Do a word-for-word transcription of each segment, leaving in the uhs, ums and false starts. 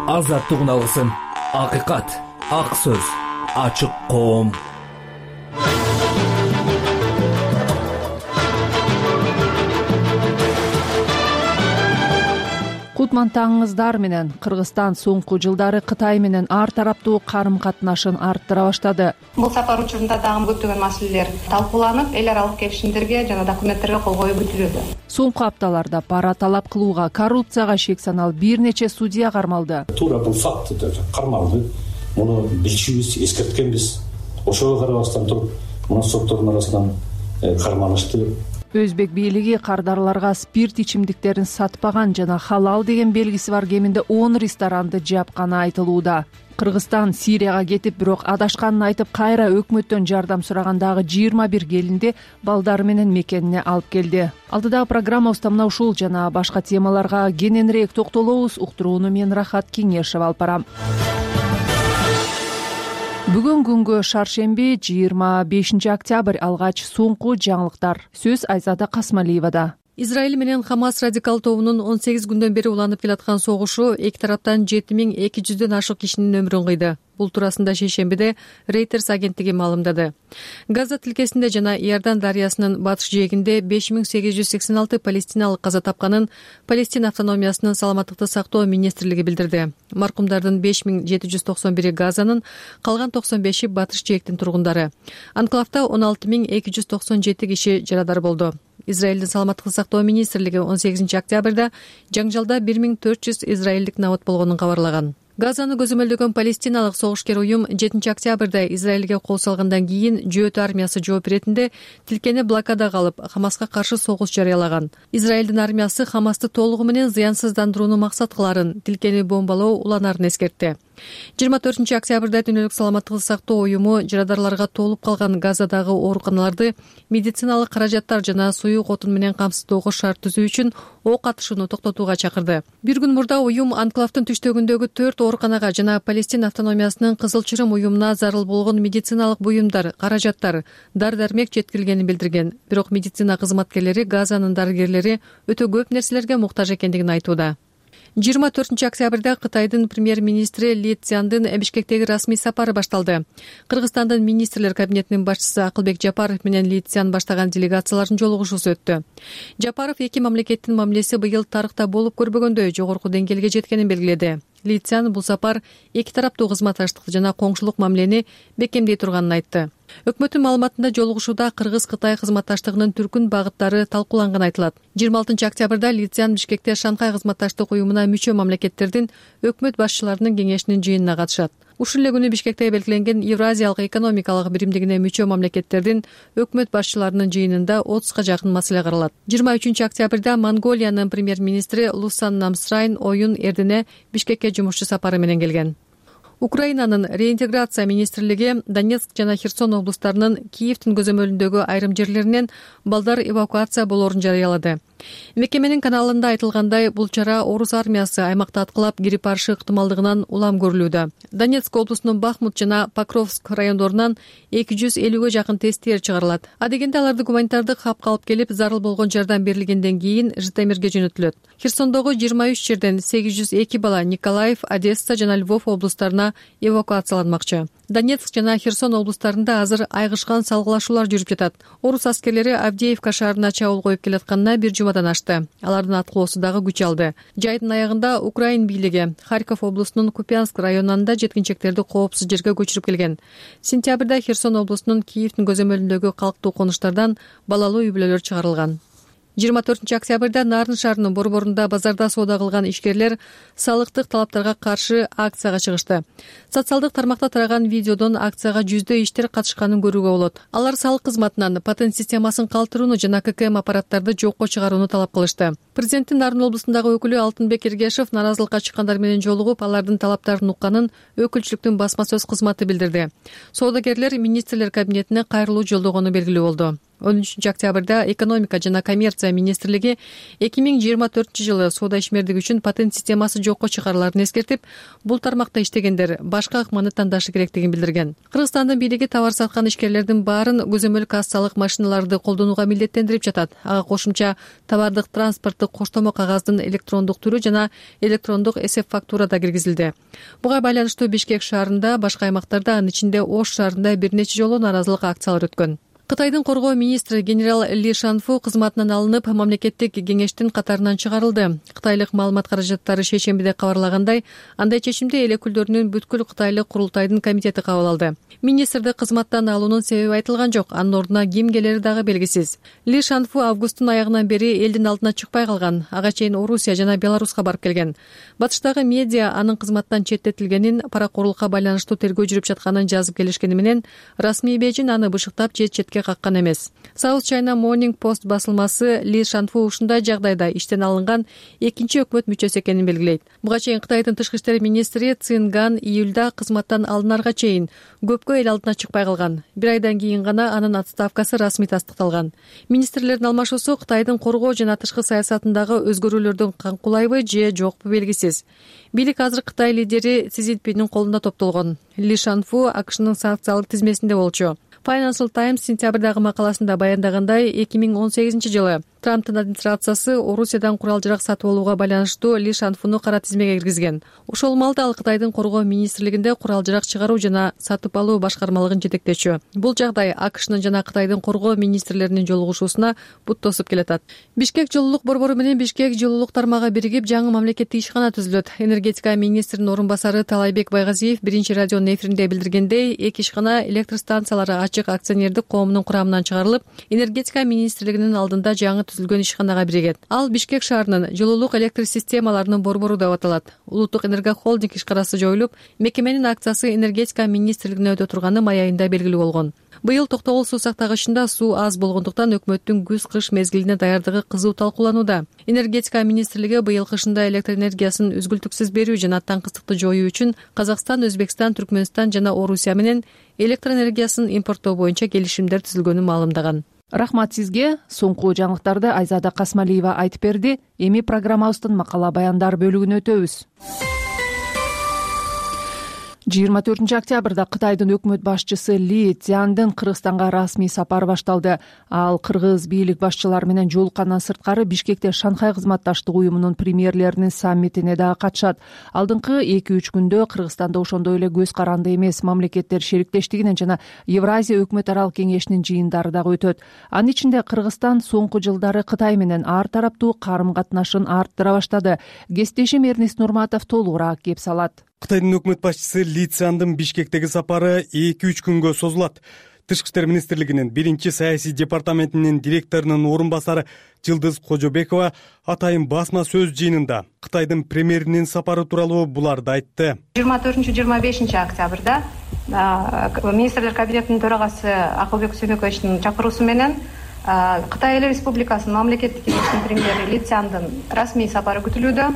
азаттык алгысын. Акыйкат, ак сөз, ачык коом. Кутман таңыңыздар менен. Кыргызстан соңку жылдары Кытай менен ар тараптуу карым катнашын арттыра баштады. Бул сапар учурунда дагы көптөгөн маселелер талкууланып, эл аралык келишимдерге жана документтерге кол коюу күтүлүүдө. Соңку апталарда пара талап кылууга, коррупцияга шек саналып бир нече судья кармалды. Туура бул факт кармалды. Муну билчүбүз, эскерткенбиз. Ошого карабастан туруп, мына соттордун арасынан кармалышты. Өзбек бийлиги кардарларга спирт ичимдиктерин сатпаган жана халал деген белгиси бар кеминде он ресторанды жапканы айтылууда. Кыргызстан Сирияга кетип, бирок адашканын айтып, кайра өкмөттөн жардам сурагандагы жыйырма бир келинди балдары менен мекенине алып келди. Алдыдагы программабызда мына ушул жана башка темаларга кененирээк токтолобуз. Уктурууну мен Рахат Кеңешева алып барам. Бүгүн күнгө шаршемби жыйырма бешинчи октябрь алгач соңку жаңылыктар. Сөз Айзада Касмалиевада. Израиль менен Хамас радикал тобунун он сегиз күндөн бери уланып келаткан согушу эки тараптан жети миң эки жүздөн ашык кишинин өмүрүн кыйды. Бул туурасында шейшембиде Reuters агенттиги маалымдады. Газа тилкесинде жана Иордан дарыясынын батыш жээгинде беш миң сегиз жүз сексен алты палестиналык каза тапканын Палестина автономиясынын саламаттыкты сактоо министрлиги билдирди. Маркумдардын беш миң жети жүз токсон бири Газанын, калган токсон беши батыш жээктин тургундары. Анклавда он алты миң эки жүз токсон жети киши жарадар болду. Израилдин саламаттыкты сактоо министрлиги он сегизинчи октябрда жаңжалда бир миң төрт жүз израилдик набат болгонун кабарлаган. Газаны көзөмөлдөгөн палестиналык согушкер уюм жетинчи октябрда Израилге кол салгандан кийин жөөт армиясы жооп иретинде тилкени блокадага алып, Хамаска каршы согуш жарыялаган. Израилдин армиясы Хамасты толугу менен зыянсыздандырууну максат кыларын, тилкени бомбалоо уланарын эскертти. жыйырма төртүнчү октябрда Дүйнөлүк саламаттыкты сактоо уюму жарадарларга толуп калган Газадагы ооруканаларды медициналык каражаттар жана суюк отун менен камсыздоого шарт түзүү үчүн ок атышууну токтотууга чакырды. Бир күн мурда уюм анклавдын түштөгүндөгү төрт ооруканага жана Палестина автономиясынын Кызыл Чырым уюмуна зарыл болгон медициналык буюмдар, каражаттар, дар-дармек жеткирилгенин билдирген. Бирок медицина кызматкерлери Газанын дарыгерлери өтө көп нерселерге муктаж экендигин айтууда. жыйырма төртүнчү октябрда Кытайдын премьер-министри Ли Цзяндын Бишкектеги расмий сапары башталды. Кыргызстандын министрлер кабинетинин башчысы Акылбек Жапаров менен Ли Цзян баштаган делегациялардын жолугушуусу өттү. Жапаров эки мамлекеттин мамилеси быйыл тарыхта болуп көрбөгөндөй жогорку деңгээлге жеткенин белгиледи. Ли Цзян бул сапар эки тараптуу кызматташтыкты жана коңшулук мамилени бекемдей турганын айтты. Өкмөттүн маалыматында жолугушууда Кыргыз-Кытай кызматташтыгынын түркүн багыттары талкууланганы айтылат. жыйырма алтынчы октябрда Ли Цзян Бишкекте Шанхай кызматташтык уюмуна мүчө мамлекеттердин өкмөт башчыларынын кеңешинин жыйынына катышат. Ушул эле күнү Бишкекте белгиленген Евразиялык экономикалык биримдигине мүчө мамлекеттердин өкмөт башчыларынын жыйынында отузга жакын маселе каралат. жыйырма үчүнчү октябрда Монголиянын премьер-министри Лусан Намсрайн оюн эрдине Бишкекке жумушчу сапары менен келген. Украинанын реинтеграция министрлиги Донецк жана Херсон облустарынын Киевдин көзөмөлүндөгү айрым жерлеринен балдар эвакуация болоорун жарыялады. Мекеменин каналында айтылгандай, бул чара орус армиясы аймакта аткылап кирип барышы ыктымалдыгынан улам көрүлүүдө. Донецк облусунун Бахмут жана Покровск райондорунан эки жүз элүүгө жакын тесттер чыгарылат. Адегенде аларды гуманитардык хапка алып келип, зарыл болгон жардам берилгенден кийин Житомирге жөнөтүлөт. Херсондогу жыйырма үч жерден сегиз жүз эки бала Николаев, Одесса жана Львов облустарына эвакуацияланмакчы. Донецк жана Херсон облустарында азыр айгышкан салгылашуулар жүрүп жатат. Орус аскерлери Авдеевка шаарына чабуул коюп келатканына бир жумадан ашты. Алардын аткылоосу дагы күч алды. Жайдын аягында Украин бийлиги Харьков облусунун Купянск районунда жеткинчектерди коопсуз жерге көчүрүп келген. Сентябрда Херсон облусунун Киевдин көзөмөлүндөгү калктуу конуштардан балалуу үй-бүлөлөр чыгарылган. жыйырма төртүнчү октябрда Нарын шаарынын борборунда базарда соода кылган ишкерлер салыктык талаптарга каршы акцияга чыгышты. Социалдык тармакта тараган видеодон акцияга жүздөй иштер катышканын көрүүгө болот. Алар салык кызматынан патент системасын калтырууну жана ККМ аппараттарды жокко чыгарууну талап кылышты. Президенттин Нарын облусундагы өкүлү Алтынбек Эргешев наразылыкка чыккандар менен жолугуп, алардын талаптарын укканын өкүлчүлүктүн басма сөз кызматы билдирди. Соодагерлер министрлер кабинетине кайрылуу жолдогону белгилүү болду. он үчүнчү октябрда экономика жана коммерция министрлиги эки миң жыйырма төртүнчү жылы соода ишмердик үчүн патент системасы жокко чыгарыларын эскертип, бул тармакта иштегендер башка ыкманы тандашы керектигин билдирген. Кыргызстандын бийлиги товар саткан ишкерлердин баарын көзөмөл кассалык машиналарды колдонууга милдеттендирип жатат. Ага кошумча товардык транспорттук коштомо кагаздын электрондук түрү жана электрондук эсеп фактура да киргизилди. Буга байланыштуу Бишкек шаарында, башка аймактарда, анын ичинде Ош шаарында бир нече жолу нааразылык акциялары өткөн. Кытайдын коргоо министри генерал Ли Шанфу кызматынан алынып, мамлекеттик кеңештин катарынан чыгарылды. Кытайлык маалымат каражаттары шейшембиде кабарлагандай, андай чечимди эл өкүлдөрүнүн бүткүл кытайлык курултайдын комитети кабыл алды. Министрди кызматтан алуунун себеби айтылган жок, анын ордуна ким келери дагы белгисиз. Ли Шанфу августтун аягынан бери элдин алдына чыкпай калган, ага чейин Орусия жана Беларуска барып келген. Батыштагы медиа анын кызматтан четтетилгенин, паракорлукка байланыштуу тергөө жүрүп жатканын жазып келишкени менен, расмий Бейжин аны бышыктап чет-четке каккан эмес. South China Morning Post басылмасы Ли Шанфу ушундай жагдайда иштен алынган экинчи өкмөт мүчөсү экенин белгилейт. Буга чейин Кытайдын тышкы иштер министри Цин Ган июлда кызматтан алынарга чейин көпкө эл алдына чыкпай калган. Бир айдан кийин гана анын отставкасы расмий тастыкталган. Министрлердин алмашуусу Кытайдын коргоо жана тышкы саясатындагы өзгөрүүлөрдөн каңкулайбы же жокпу белгисиз. Бийлик азыр Кытай лидери Си Цзиньпиндин колунда топтолгон. Ли Шанфу АКШнын санкциялык тизмесинде болчу. Financial Times сентябрдагы макаласында баяндагандай, эки миң он сегизинчи жылы Трамптын администрациясы Орусиядан курал-жарак сатып алууга байланыштуу Ли Шанфуну кара тизмеге киргизген. Ошол маалда ал Кытайдын коргоо министрлигинде курал-жарак чыгаруу жана сатып алуу башкармалыгын жетектечү. Бул жагдай АКШнын жана Кытайдын коргоо министрлеринин жолугушуусуна бут тосуп келатат. Бишкек жылуулук борбору менен Бишкек жылуулук тармагы биригип жаңы мамлекеттик ишкана түзүлөт. Энергетика министринин орун басары Талайбек Байгазиев биринчи радионун эфиринде билдиргендей, эки ишкана электр станциялары ачык акционердик коомунун курамынан чыгарылып, энергетика министрлигинин алдында жаңы түзүлгөн ишканага биригет. Ал Бишкек шаарынын жылуулук электр системаларынын борбору деп аталат. Улуттук энергохолдинг ишканасы жоюлуп, мекеменин акциясы энергетика министрлигине өтө турганы май айында белгилүү болгон. Быйыл токтогул суу сактагычында суу аз болгондуктан өкмөттүн күз-кыш мезгилине даярдыгы кызуу талкууланууда. Энергетика министрлиги быйыл кышында электр энергиясын үзгүлтүксүз берүү жана таңкыстыкты жоюу үчүн Казакстан, Өзбекстан, Түркмөнстан жана Орусия менен электр энергиясын импорттоо боюнча келишимдер түзүлгөнүн маалымдаган. Рахмат сизге. Соңку жаңылыктарды Айзада Касмалиева айтып берди. Эми программабыздын макала баяндар бөлүгүнө өтөбүз. жыйырма төртүнчү октябрда Кытайдын өкмөт башчысы Ли Цзяндын Кыргызстанга расмий сапары башталды. Ал кыргыз бийлик башчылары менен жолуккандан сырткары Бишкекте Шанхай кызматташтык уюмунун премьерлеринин саммитине дагы катышат. Алдыңкы эки үч күндө Кыргызстанда ошондой эле көз каранды эмес мамлекеттер шериктештигинин жана Евразия өкмөт аралык кеңешинин жыйындары дагы өтөт. Анын ичинде Кыргызстан соңку жылдары Кытай менен ар тараптуу карым-катнашын арттыра баштады. Кесиптешим Эрнест Нурматов толугураак кеп салат. Кытайдын өкмөт башчысы Ли Цзяндын Бишкектеги сапары эки үч күнгө созулат. Тышкы иштер министрлигинин биринчи саясий департаментинин директорунун орун басары Жылдыз Кожобекова атайын басма сөз жыйынында Кытайдын премьеринин сапары тууралуу буларды айтты. жыйырма төртүнчү жыйырма бешинчи октябрда министрлер кабинетинин төрагасы Акылбек Сүйнөкөевичтин чакыруусу менен Кытай Эл Республикасынын мамлекеттик кеңешинин премьери Ли Цзяндын расмий сапары күтүлүүдө.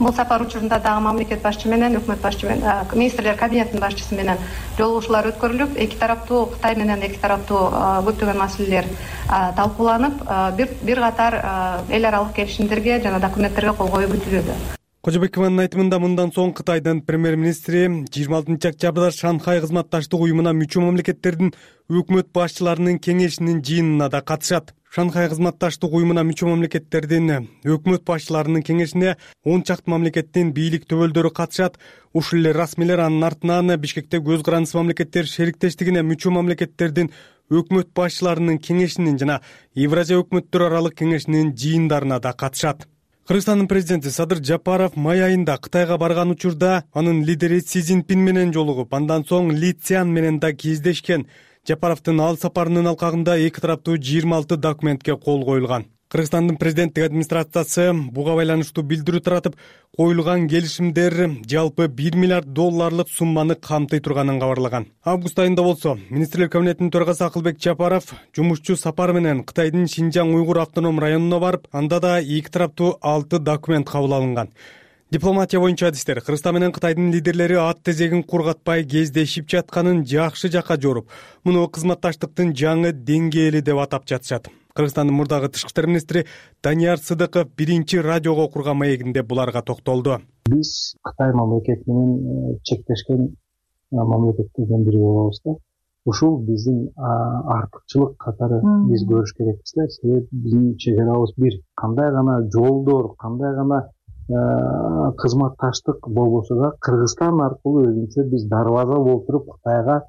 Бул сапар учурунда дагы мамлекет башчы менен, өкмөт башчы менен, министрлер кабинетинин башчысы менен жолугушуулар өткөрүлүп, эки тараптуу Кытай менен эки тараптуу көптөгөн маселелер талкууланып, бир бир катар эл аралык келишимдерге жана документтерге кол коюу күтүлүүдө. Кожобекованын айтымында мындан соң Кытайдын премьер-министри жыйырма алтынчы октябрда Шанхай кызматташтык уюмуна мүчө мамлекеттердин өкмөт башчыларынын кеңешинин жыйынына да катышат. Шанхай кызматташтык уюмуна мүчө мамлекеттердин өкмөт башчыларынын кеңешине он чакты мамлекеттин бийлик төбөлдөрү катышат. Ушул эле расмийлер анын артынан Бишкекте көз карандысыз мамлекеттер шериктештигине мүчө мамлекеттердин өкмөт башчыларынын кеңешинин жана Евразия өкмөттөр аралык кеңешинин жыйындарына да катышат. Кыргызстандын президенти Садыр Жапаров май айында Кытайга барган учурда анын лидери Си Цзиньпин менен жолугуп, андан соң Ли Цзян менен да кездешкен. Жапаровдун ал сапарынын алкагында эки тараптуу жыйырма алты документке кол коюлган. Кыргызстандын президенттик администрациясы буга байланыштуу билдирүү таратып, коюлган келишимдер жалпы бир миллиард долларлык сумманы камтый турганын кабарлаган. Август айында болсо, министрлер кабинетинин төрагасы Акылбек Жапаров жумушчу сапары менен Кытайдын Шинжаң уйгур автоном районуна барып, анда да эки тараптуу алты документ кабыл алынган. Дипломатия боюнча адистер Кыргызстан менен Кытайдын лидерлери ат тезегин кургатпай кездешип жатканын жакшы жакка жоруп, муну кызматташтыктын жаңы деңгээли деп атап жатышат. Кыргызстандын мурдагы тышкы иштер министри Данияр Сыдыков биринчи радиого окурган маегинде буларга токтолду. Биз Кытай мамлекети менен чектешкен мамлекеттерден бири болобуз да. Ушул биздин артыкчылык катары биз көрүш керекпиз да. Себеби биздин чегарабыз бир. Кандай гана жолдор, кандай гана кызматташтык болбосо да Кыргызстан аркылуу өзүнчө биз дарбаза болуп туруп Кытайга,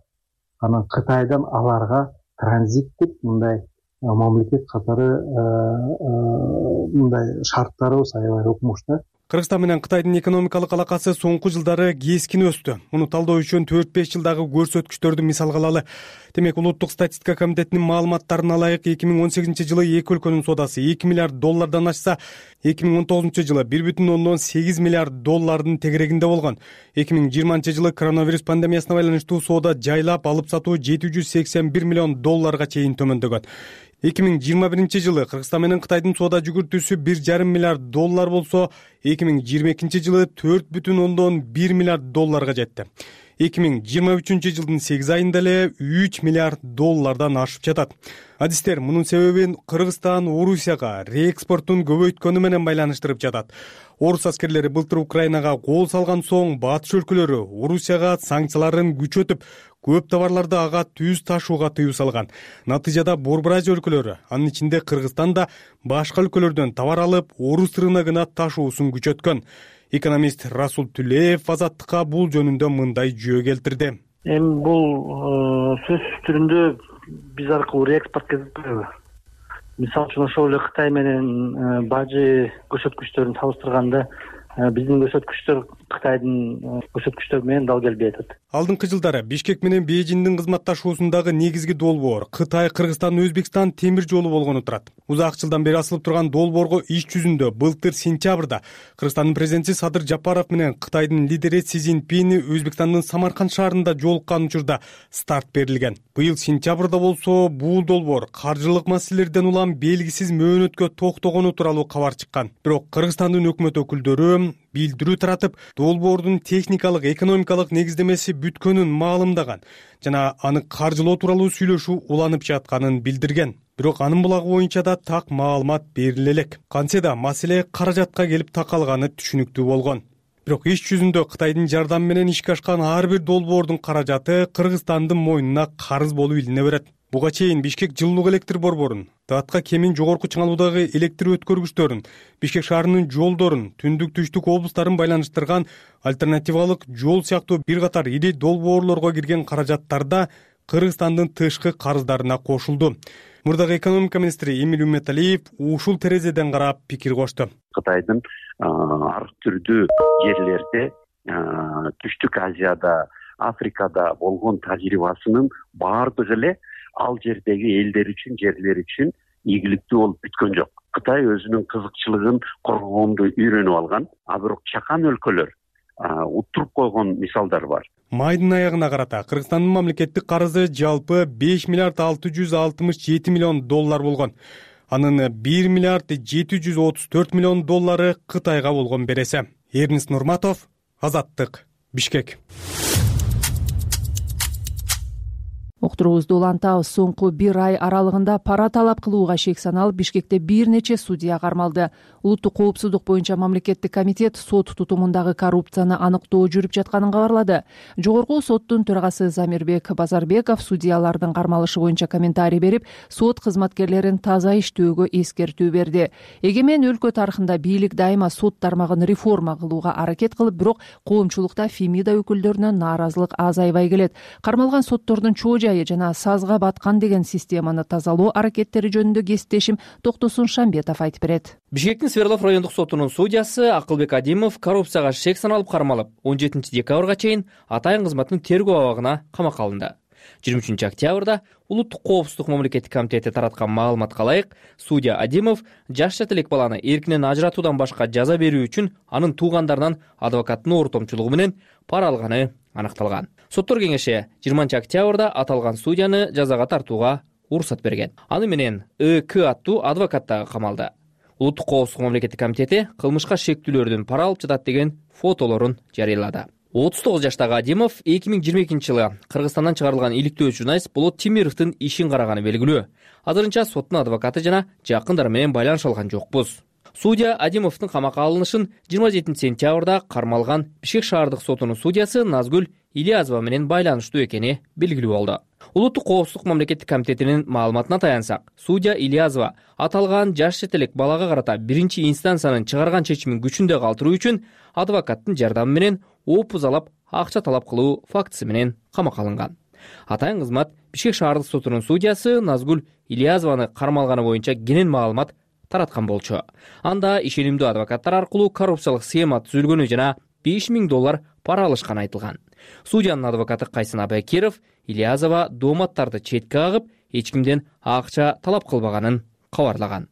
анан Кытайдан аларга транзиттик мындай мамлекет катары мындай шарттарыбыз аябай укмуш да. Кыргызстан менен Кытайдын экономикалык алакасы соңку жылдары кескин өстү. Муну талдоо үчүн төрт беш жылдагы көрсөткүчтөрдү мисалга алалы. Демек, Улуттук статистика комитетинин маалыматтарына ылайык эки миң он сегизинчи жылы эки өлкөнүн соодасы эки миллиард доллардан ашса, эки миң он тогузунчу жылы бир бүтүн ондон сегиз миллиард доллардын тегерегинде болгон. эки миң жыйырманчы жылы коронавирус пандемиясына байланыштуу соода жайлап алып сатуу жети жүз сексен бир миллион долларга чейин төмөндөгөн. эки миң жыйырма биринчи жылы Кыргызстан менен Кытайдын соода жүгүртүүсү бир жарым миллиард доллар болсо, эки миң жыйырма экинчи жылы төрт бүтүн ондон бир миллиард долларга жетти. эки миң жыйырма үчүнчү жылдын сегиз айында эле үч миллиард доллардан ашып жатат. Адистер мунун себебин Кыргызстан Орусияга реэкспортун көбөйткөнү менен байланыштырып жатат. Орус аскерлери былтыр Украинага кол салган соң батыш өлкөлөрү Орусияга санкцияларын күчөтүп, көп товарларды ага түз ташууга тыюу салган. Натыйжада Борбор Азия өлкөлөрү, анын ичинде Кыргызстан да башка өлкөлөрдөн товар алып, орус рыногуна ташуусун күчөткөн. Экономист Расул Түлеев Азаттыкка бул жөнүндө мындай жүйө келтирди. Эми бул сөз түрүндө биз аркылуу реэкспорт кезип, мисалы үчүн ошол эле Кытай менен бажы көрсөткүчтөрүн салыштырганда биздин көрсөткүчтөр Кытайдын көрсөткүчтөрү менен дал келбей атат. Алдыңкы жылдары Бишкек менен Бейжиңдин кызматташуусундагы негизги долбоор Кытай, Кыргызстан, Өзбекстан темир жолу болгону турат. Узак жылдан бери асылып турган долбоорго иш жүзүндө былтыр сентябрда Кыргызстандын президенти Садыр Жапаров менен Кытайдын лидери Си Цзиньпин Өзбекстандын Самарканд шаарында жолуккан учурда старт берилген. Быйыл сентябрда болсо бул долбоор каржылык маселелерден улам белгисиз мөөнөткө токтогону тууралуу кабар чыккан. Бирок Кыргызстандын өкмөт өкүлдөрү билдирүү таратып, долбоордун техникалык, экономикалык негиздемеси бүткөнүн маалымдаган жана аны каржылоо тууралуу сүйлөшүү уланып жатканын билдирген. Бирок анын булагы боюнча да так маалымат бериле элек. Кантсе да маселе каражатка келип такалганы түшүнүктүү болгон. Бирок иш жүзүндө Кытайдын жардамы менен ишке ашкан ар бир долбоордун каражаты Кыргызстандын мойнуна карыз болуп илине берет. Буга чейин Бишкек жылуулук электр борборун, Даатка кемин жогорку чыңалуудагы электр өткөргүчтөрүн, Бишкек шаарынын жолдорун, түндүк түштүк облустарын байланыштырган альтернативалык жол сыяктуу бир катар ири долбоорлорго кирген каражаттарда Кыргызстандын тышкы карыздарына кошулду. Мурдагы экономика министри Эмиль Үмметалиев ушул терезеден карап пикир кошту. Кытайдын ар түрдүү жерлерде, Түштүк Азияда, Африкада болгон тажрыйбасынын баардыгы эле ал жердеги элдер үчүн, жерлер үчүн ийгиликтүү болуп бүткөн жок. Кытай өзүнүн кызыкчылыгын коргоонду үйрөнүп алган, а бирок чакан өлкөлөр уттуруп койгон мисалдар бар. Майдын аягына карата Кыргызстандын мамлекеттик карызы жалпы беш миллиард алты жүз алтымыш жети миллион доллар болгон. Анын бир миллиард жети жүз отуз төрт миллион доллары Кытайга болгон береси. Эрнис Нурматов, Азаттык, Бишкек. Уктуруубузду улантабыз. Соңку бир ай аралыгында пара талап кылууга шек саналып, Бишкекте бир нече судья кармалды. Улуттук коопсуздук боюнча мамлекеттик комитет сот тутумундагы коррупцияны аныктоо жүрүп жатканын кабарлады. Жогорку соттун төрагасы Замирбек Базарбеков судьялардын кармалышы боюнча комментарий берип, сот кызматкерлерин таза иштөөгө эскертүү берди. Эгемен өлкө тарыхында бийлик дайыма сот тармагын реформа кылууга аракет кылып, бирок коомчулукта Фемида өкүлдөрүнөн нааразылык азайбай келет. Кармалган соттордун чоо жана сазга баткан деген системаны тазалоо аракеттери жөнүндө кесиптешим Токтосун Шамбетов айтып берет. Бишкектин Свердлов райондук сотунун судьясы Акылбек Адимов коррупцияга шек саналып кармалып, он жетинчи декабрга чейин атайын кызматтын тергөө абагына камакка алынды. жыйырма үчүнчү октябрда Улуттук коопсуздук мамлекеттик комитети тараткан маалыматка ылайык, судья Адимов жаш жат элек баланы эркинен ажыратуудан башка жаза берүү үчүн анын туугандарынан адвокаттын ортомчулугу менен пара алганы аныкталган. Соттор кеңеши жыйырманчы октябрда аталган судьяны жазага тартууга уруксат берген. Аны менен ЭК аттуу адвокат дагы камалды. Улуттук коопсуздук мамлекеттик комитети кылмышка шектүүлөрдүн пара алып жатат деген фотолорун жарыялады. отуз тогуз жаштагы Адимов эки миң жыйырма экинчи жылы Кыргызстандан чыгарылган иликтөө журналист Болот Тимировдун ишин караганы белгилүү. Азырынча соттун адвокаты жана жакындары менен байланыша алган жокпуз. Судья Адимовдун камакка алынышын жыйырма жетинчи сентябрда кармалган Бишкек шаардык сотунун судьясы Назгүл Ильязова менен байланыштуу экени белгилүү болду. Улуттук коопсуздук мамлекеттик комитетинин маалыматына таянсак, судья Ильязова аталган жаш чет элек балага карата биринчи инстанциянын чыгарган чечимин күчүндө калтыруу үчүн адвокаттын жардамы менен опузалап акча талап кылуу фактысы менен камакка алынган. Атайын кызмат Бишкек шаардык сотунун судьясы Назгүл Ильязованы кармалганы боюнча кенен маалымат тараткан болчу. Анда ишенимдүү адвокаттар аркылуу коррупциялык схема түзүлгөнү жана беш миң доллар пара алышканы айтылган. Судьянын адвокаты Кайсын Абайкеров Ильязова дооматтарды четке кагып, эч кимден акча талап кылбаганын кабарлаган.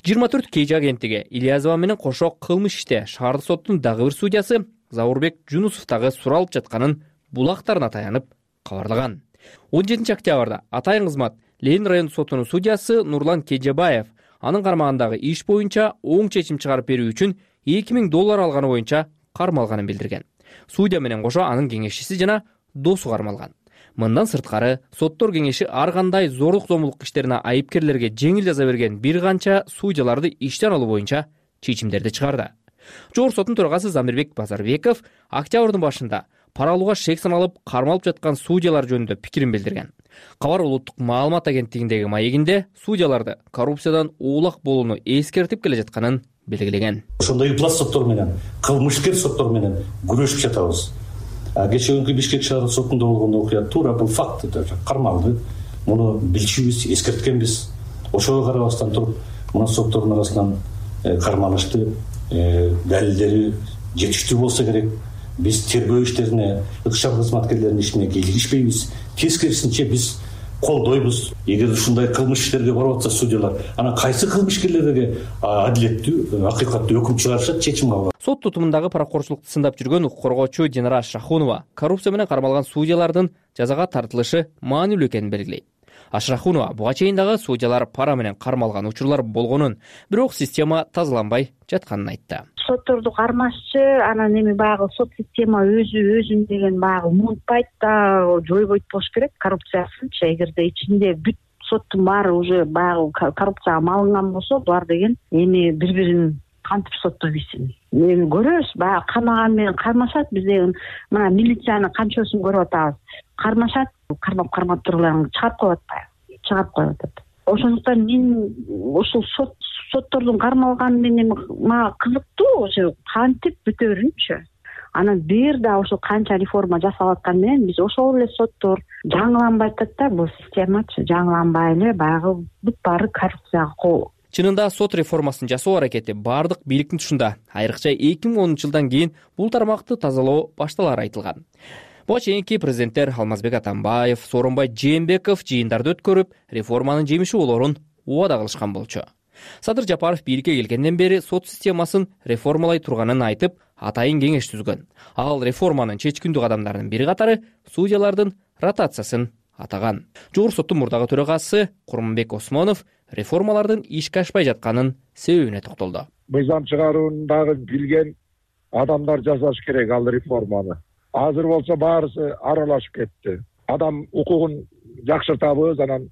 жыйырма төрт кей агенттиги Ильязова менен кошо кылмыш иште шаардык соттун дагы бир судьясы Заурбек Жунусов дагы суралып жатканын булактарына таянып кабарлаган. он жетинчи октябрда атайын кызмат Ленин райондук сотунун судьясы Нурлан Кежебаев анын кармагындагы иш боюнча оң чечим чыгарып берүү үчүн эки миң доллар алганы боюнча кармалганын билдирген. Судья менен кошо анын кеңешчиси жана досу кармалган. Мындан сырткары соттор кеңеши ар кандай зордук зомбулук иштерине айыпкерлерге жеңил жаза берген бир канча судьяларды иштен алуу боюнча чечимдерди чыгарды. Жогорку соттун төрагасы Замирбек Базарбеков октябрдын башында пара алууга шек саналып кармалып жаткан судьялар жөнүндө пикирин билдирген. Кабар улуттук маалымат агенттигиндеги маегинде судьяларды коррупциядан оолак болууну эскертип келе жатканын белгилеген. Ошондой пласт соттор менен, кылмышкер соттор менен күрөшүп жатабыз. Кечээ күнкү Бишкек шаардык сотунда болгон окуя туура бул факт кармалды. Муну билчүбүз, эскерткенбиз. Ошого карабастан туруп, мына соттордун арасынан кармалышты, далилдери жетиштүү болсо керек. Биз тергөө иштерине, ыкчам кызматкерлердин ишине кийлигишпейбиз. Тескерисинче биз колдойбуз. Эгер ушундай кылмыш иштерге барып атса судьялар, анан кайсы кылмышкерлерге адилеттүү, акыйкаттуу өкүм чыгарышат, чечим алат. Сот тутумундагы паракорчулукту сындап жүргөн укук коргоочу Динара Шахунова коррупция менен кармалган судьялардын жазага тартылышы маанилүү экенин белгилейт. Ашрахунова буга чейин дагы судьялар пара менен кармалган учурлар болгонун, бирок система тазаланбай жатканын айтты. Сотторду кармашчы, анан эми баягы сот система өзү өзүн деген баягы умунтпайт да, жойбойт болуш керек коррупциясынчы. Эгерде ичинде бүт соттун баары уже баягы коррупцияга малынган болсо, булар деген эми бири-бирин кантип соттой билсин. Эми көрөбүз, баягы кармаган менен кармашат, биз деген мына милициянын канчоосун көрүп атабыз. Кармашат, кармап-кармап турган чыгарып коюп атпайбы? Чыгарып коюп атат. Ошондуктан мен ушул сот соттордун кармалганы менен мага кызыктуу, ошо кантип бүтөрүнчү. Анан бир да ошо канча реформа жасалып аткан менен биз ошол эле соттор жаңыланбай атат да, бул системачы жаңыланбай эле баягы бүт баары коррупцияга кол. Чынында сот реформасын жасоо аракети бардык бийликтин тушунда. Айрыкча эки миң онунчу жылдан кийин бул тармакты тазалоо башталары айтылган. Буга чейинки президенттер Алмазбек Атамбаев, Сооронбай Жээнбеков жыйындарды өткөрүп, реформанын жемиши болорун убада кылышкан болчу. Садыр Жапаров бийликке келгенден бери сот системасын реформалай турганын айтып, атайын кеңеш түзгөн. Ал реформанын чечкиндүү кадамдарынын бири катары судьялардын ротациясын атаган. Жогорку соттун мурдагы төрагасы Курманбек Осмонов реформалардын ишке ашпай жатканын себебине токтолду. Мыйзам чыгарууну дагы билген адамдар жасаш керек ал реформаны. Азыр болсо баарысы аралашып кетти. Адам укугун жакшыртабыз, анан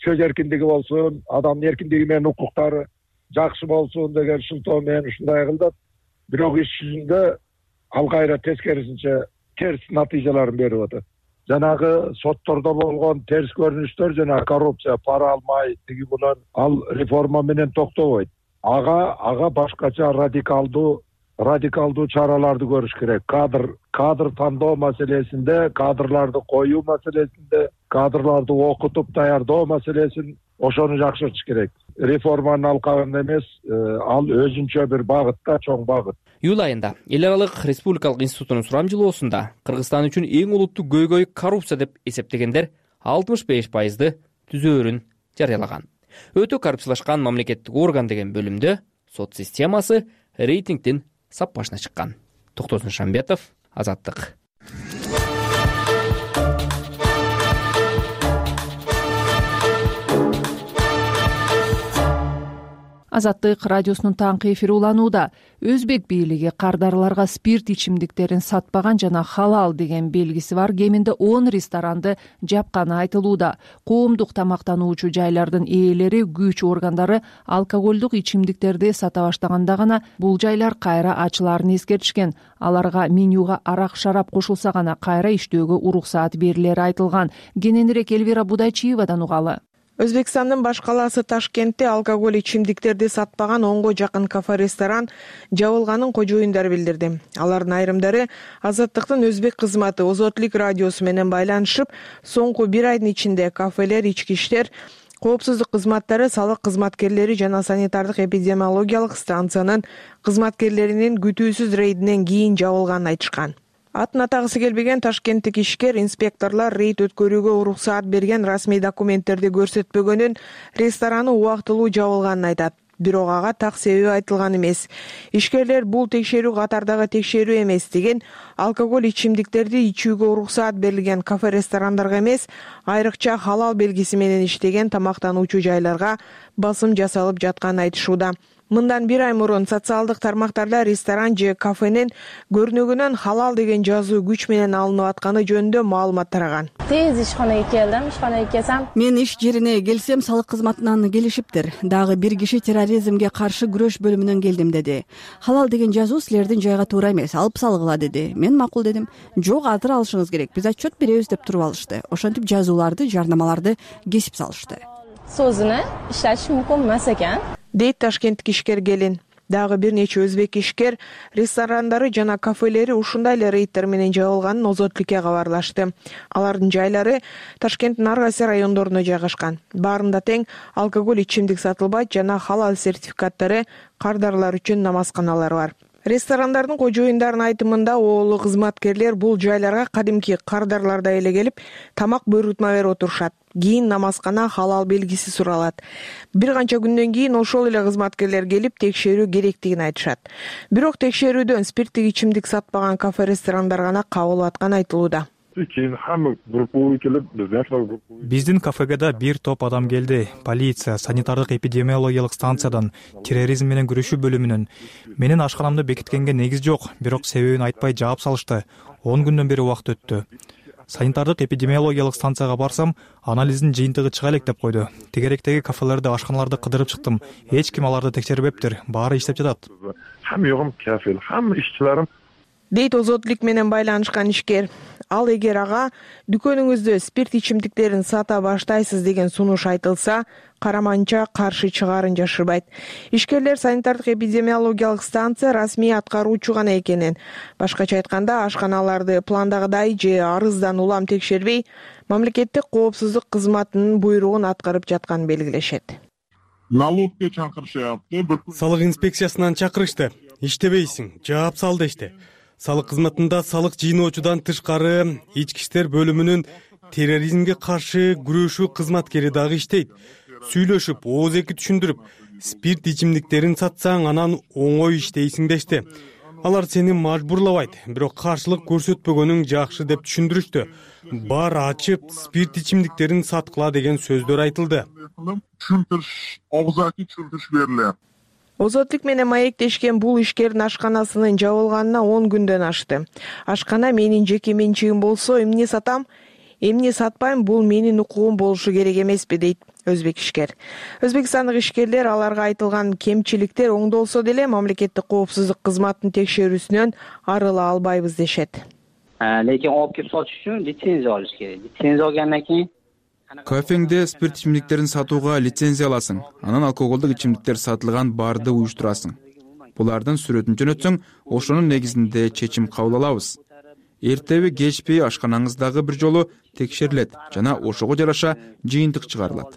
сөз эркиндиги болсун, адамдын эркиндиги менен укуктары жакшы болсун деген шылтоо менен ушундай кылдат. Бирок иш жүзүндө ал кайра тескерисинче терс натыйжаларын берип атат. Жанагы соттордо болгон терс көрүнүштөр жана коррупция, пара алмай тиги булар ал реформа менен токтобойт. Ага ага башкача радикалдуу радикалдуу чараларды көрүш керек. Кадр кадр тандоо маселесинде, кадрларды коюу маселесинде, кадрларды окутуп даярдоо маселесин ошону жакшыртыш керек. Реформанын алкагында эмес, ал өзүнчө бир багытта, чоң багыт. Июль айында эл аралык республикалык институтунун сурамжылоосунда Кыргызстан үчүн эң олуттуу көйгөй коррупция деп эсептегендер алтымыш беш пайызды түзөөрүн жарыялаган. Өтө коррупциялашкан мамлекеттик орган деген бөлүмдө сот системасы рейтингдин сап башына чыккан. Токтосун Шамбетов, Азаттык. Азаттык радиосунун таңкы эфири уланууда. Өзбек бийлиги кардарларга спирт ичимдиктерин сатпаган жана халал деген белгиси бар кеминде он ресторанды жапканы айтылууда. Коомдук тамактануучу жайлардын ээлери, күч органдары алкоголдук ичимдиктерди сата баштаганда гана бул жайлар кайра ачылаарын эскертишкен. Аларга менюга арак, шарап кошулса гана кайра иштөөгө уруксаат берилери айтылган. Кененирээк Элвира Будайчиевадан угалы. Өзбекстандын баш калаасы Ташкентте алкоголь ичимдиктерди сатпаган онго жакын кафе-ресторан жабылганын кожоюндар билдирди. Алардын айрымдары Азаттыктын өзбек кызматы Озотлук радиосу менен байланышып, соңку бир айдын ичинде кафелер, ички иштер, коопсуздук кызматтары, салык кызматкерлери жана санитардык эпидемиологиялык станциянын кызматкерлеринин күтүүсүз рейдинен кийин жабылганын айтышкан. Атын атагысы келбеген ташкенттик ишкер инспекторлор рейд өткөрүүгө уруксаат берген расмий документтерди көрсөтпөгөнүн рестораны убактылуу жабылганын айтат. Бирок ага так себеби айтылган эмес. Ишкерлер бул текшерүү катардагы текшерүү эмес деген, алкоголь ичимдиктерди ичүүгө уруксаат берилген кафе-ресторандарга эмес, айрыкча халал белгиси менен иштеген тамактануучу жайларга басым жасалып жатканын айтышууда. Мындан бир ай мурун социалдык тармактарда ресторан же кафенин көрүнөгүнөн халал деген жазуу күч менен алынып атканы жөнүндө маалымат тараган. Тез ишканага келдим, ишканага келсем, мен иш жерине келсем, салык кызматынан келишиптир. Дагы бир киши терроризмге каршы күрөш бөлүмүнөн келдим деди. Халал деген жазуу силердин жайга туура эмес, алып салгыла деди. Мен макул дедим. Жок, азыр алышыңыз керек. Биз отчет беребиз деп туруп алышты. Ошентип жазууларды, жарнамаларды кесип салышты. Сөзүнө иштетиш мүмкүн эмес экен, дейт ташкенттик ишкер келин. Дагы бир нече өзбек ишкер ресторандары жана кафелери ушундай эле рейдтер менен жабылганын Озотлукка кабарлашты. Алардын жайлары Ташкенттин ар кайсы райондоруна жайгашкан. Баарында тең алкоголь ичимдик сатылбайт жана халал сертификаттары кардарлар үчүн намазканалар бар. Ресторандардын кожоюндарынын айтымында оолу кызматкерлер бул жайларга кадимки кардарлардай эле келип, тамак буйрутма берип отурушат. Кийин намазкана халал белгиси суралат. Бир канча күндөн кийин ошол эле кызматкерлер келип текшерүү керектигин айтышат. Бирок текшерүүдөн спирттик ичимдик сатпаган кафе-ресторандар гана кабыл атканы айтылууда. Биздин кафеге да бир топ адам келди. Полиция, санитардык эпидемиологиялык станциядан, терроризм менен күрөшүү бөлүмүнөн. Менин ашканамды бекиткенге негиз жок, бирок себебин айтпай жаап салышты. он күндөн бери убакыт өттү. Санитардык эпидемиологиялык станцияга барсам, анализдин жыйынтыгы чыга элек деп койду. Тегеректеги кафелерди, ашканаларды кыдырып чыктым. Эч ким аларды текшербептир. Баары иштеп жатат. Хамма жогум кафел, хамма ишчилерим, дейт Озотлук менен байланышкан ишкер. Ал эгер ага дүкөнүңүздө спирт ичимдиктерин сата баштайсыз деген сунуш айтылса, караманча каршы чыгаарын жашырбайт. Ишкерлер санитардык эпидемиологиялык станция расмий аткаруучу гана экенин, башкача айтканда ашканаларды пландагыдай же арыздан улам текшербей, мамлекеттик коопсуздук кызматынын буйругун аткарып жатканын белгилешет. Налогке чакырышты. Салык инспекциясынан чакырышты. Иштебейсиң, жаап сал дешти. Салык кызматында салык жыйноочудан тышкары ички иштер бөлүмүнүн терроризмге каршы күрөшүү кызматкери дагы иштейт. Сүйлөшүп, ооз эки түшүндүрүп, спирт ичимдиктерин сатсаң анан оңой иштейсиң дешти. Алар сени мажбурлабайт, бирок каршылык көрсөтпөгөнүң жакшы деп түшүндүрүштү. Бар ачып, спирт ичимдиктерин саткыла деген сөздөр айтылды. Түшүндүрүш, огузаки түшүндүрүш берилет. Озотлук менен маектешкен бул ишкердин ашканасынын жабылганына он күндөн ашты. Ашкана менин жеке менчигим болсо, эмне сатам, эмне сатпайм, бул менин укугум болушу керек эмеспи, дейт өзбек ишкер. Өзбекстандык ишкерлер аларга айтылган кемчиликтер оңдолсо деле мамлекеттик коопсуздук кызматынын текшерүүсүнөн арыла албайбыз дешет. Лекин алып келип сатыш үчүн лицензия алыш керек. Лицензия алгандан кийин кафеңде спирт ичимдиктерин сатууга лицензия аласың. Анан алкоголдук ичимдиктер сатылган барды уюштурасың. Булардын сүрөтүн жөнөтсөң, ошонун негизинде чечим кабыл алабыз. Эртеби кечпи ашканаңыздагы бир жолу текшерилет жана ошого жараша жыйынтык чыгарылат.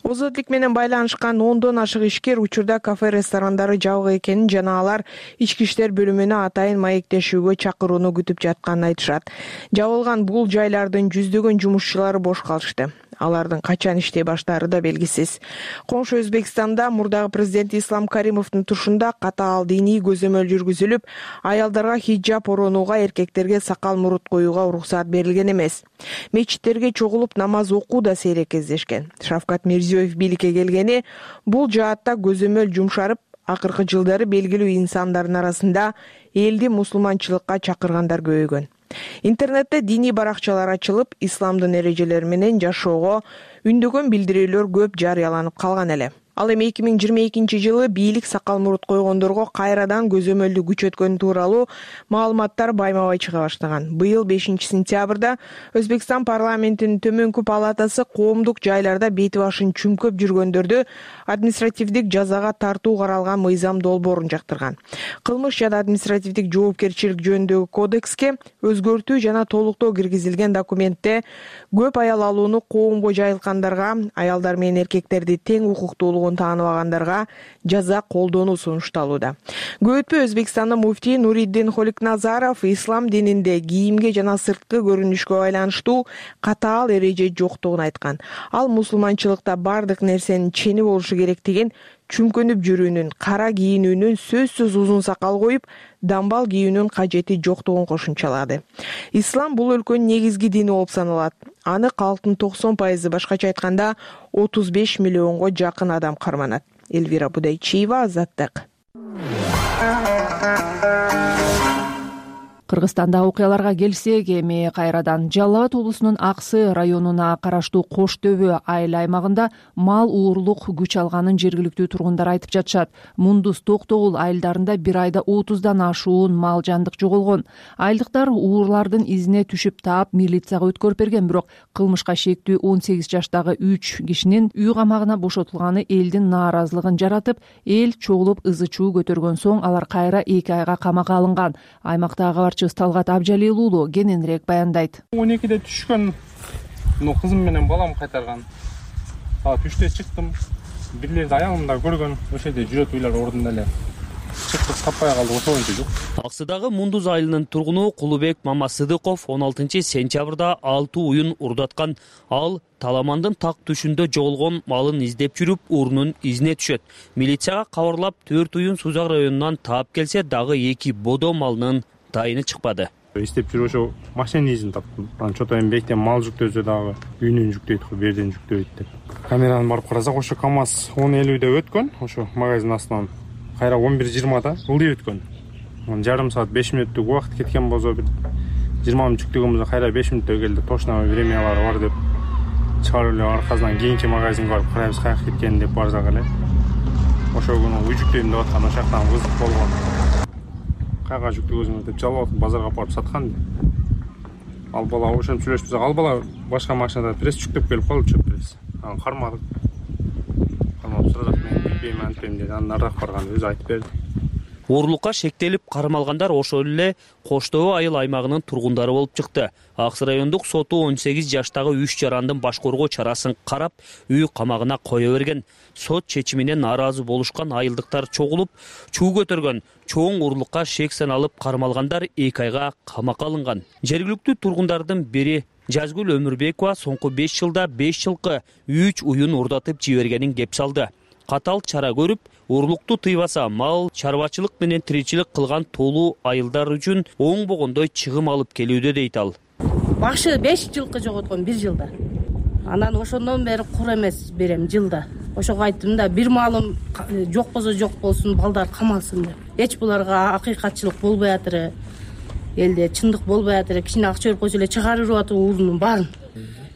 Озотлук менен байланышкан ондон ашык ишкер учурда кафе-ресторандары жабык экенин жана алар ички иштер бөлүмүнө атайын маектешүүгө чакырууну күтүп жатканын айтышат. Жабылган бул жайлардын жүздөгөн жумушчулары бош калышты. алардын качан иштей баштаары да белгисиз. Коңшу Өзбекстанда мурдагы президент Ислам Каримовдун тушунда катаал диний көзөмөл жүргүзүлүп, аялдарга хиджаб оронууга, эркектерге сакал мурут коюуга уруксаат берилген эмес. Мечиттерге чогулуп намаз окуу да сейрек кездешкен. Шавкат Мирзиёев бийликке келгени бул жаатта көзөмөл жумшарып, акыркы жылдары белгилүү инсандардын арасында элди мусулманчылыкка чакыргандар көбөйгөн. Интернетте диний баракчалар ачылып, исламдын эрежелери менен жашоого үндөгөн билдирүүлөр көп жарыяланып калган эле. Ал эми эки миң жыйырма экинчи жылы бийлик сакал мурут койгондорго кайрадан көзөмөлдү күчөткөнү тууралуу маалыматтар байма-бай чыга баштаган. Быйыл бешинчи сентябрда Өзбекстан парламентинин төмөнкү палатасы коомдук жайларда бети башын чүмкөп жүргөндөрдү административдик жазага тартуу каралган мыйзам долбоорун жактырган. Кылмыш жана административдик жоопкерчилик жөнүндөгү кодекске өзгөртүү жана толуктоо киргизилген документте көп аял алууну коомго жайылткандарга, аялдар менен эркектерди тең укуктуулугун тааныбагандарга жаза колдонуу сунушталууда. Көп өтпөй Өзбекстандын муфтии Нуриддин Холикназаров ислам дининде кийимге жана сырткы көрүнүшкө байланыштуу катаал эреже жоктугун айткан. Ал мусулманчылыкта бардык нерсенин чени болушу керектигин, чүмкөнүп жүрүүнүн, кара кийинүүнүн, сөзсүз узун сакал коюп, дамбал кийүүнүн кажети жоктугун кошумчалады. Ислам бул өлкөнүн негизги дини болуп саналат. Аны калктын токсон пайызы, башкача айтканда отуз беш миллионго жакын адам карманат. Элвира Будайчиева, Азаттык. Кыргызстандагы окуяларга келсек, эми кайрадан Жалал Абад облусунун Аксы районуна караштуу Кош Төбө айыл аймагында мал уурлук күч алганын жергиликтүү тургундар айтып жатышат. Мундуз Токтогул айылдарында бир айда отуздан ашуун мал жандык жоголгон. Айылдыктар уурлардын изине түшүп таап милицияга өткөрүп берген, бирок кылмышка шектүү он сегиз жаштагы үч кишинин үй камагына бошотулганы элдин нааразылыгын жаратып, эл чогулуп ызы чуу көтөргөн соң алар кайра эки айга камакка алынган. Аймактагы Талгат Абжалил уулу кененирээк баяндайт. он экиде түшкөн, кызым менен балам кайтарган. Түштө чыктым, бирлерди аялымда көргөн, ошол жерде жүрөт уйлар ордунда эле. Чыктык, таппай калдык, ошол боюнча жок. Аксыдагы Мундуз айылынын тургуну Кулубек Мамасыдыков он алтынчы сентябрда алты уюн урдаткан. Ал Таламандын так түшүндө жоголгон малын издеп жүрүп, урунун изине түшөт. Милицияга кабарлап, төрт уюн Сузак районунан таап келсе, дагы эки бодо малынын тайыны чыкпады. Издеп жүрүп ошо машина изин таптым. Анан чото эми бектен мал жүктөсө дагы үйүнөн жүктөйт го, берден жүктөйт деп. Камераны барып карасак, ошо КамАЗ он элүүдө өткөн, ошо магазин астынан кайра он бир жыйырмада ылдый өткөн. Анан жарым саат беш мүнөттүк убакыт кеткен болсо, бир жыйырма мүнөт жүктөгөнбүз, кайра беш мүнөттө келди. Точно времялары бар деп чыгарып эле аркасынан кийинки магазинге барып карайбыз каяка кеткенин деп барсак эле. Ошол күнү үй жүктөйм деп аткан, ошол жактан кызык болгон. Кайга жүктөгөзүңөр деп жалап базарга апарып саткан. Ал бала ошентип сүйлөшүп, ал бала башка машинада пресс жүктөп келип калды, чөп пресс. Анан кармадык. Кармап сурадык, мен билбейм, антпейм деди. Анан нарак барган өзү айтып берди. Уурлукка шектелип кармалгандар ошол эле Кош Төбө айыл аймагынын тургундары болуп чыкты. Аксы райондук соту он сегиз жаштагы үч жарандын баш коргоо чарасын карап, үй камагына кое берген. Сот чечимине нааразы болушкан айылдыктар чогулуп, чуу көтөргөн. Чоң уурлукка шек саналып кармалгандар эки айга камакка алынган. Жергиликтүү тургундардын бири Жазгүл Өмүрбекова соңку беш жылда беш жылкы үч уюн урдатып жибергенин кеп салды. Катал чара көрүп, уурлукту тыйбаса, мал чарбачылык менен тиричилик кылган толуу айылдар үчүн оңбогондой чыгым алып келүүдө дейт ал. Башы беш жылкы жоготкон бир жылда. Анан ошондон бери кур эмес берем жылда. Ошого айттым да, бир малым жок болсо жок болсун, балдар камалсын деп. Эч буларга акыйкатчылык болбой атыры, элде чындык болбой атыры, кичине акча берип койсо эле чыгарып атып уурунун баарын.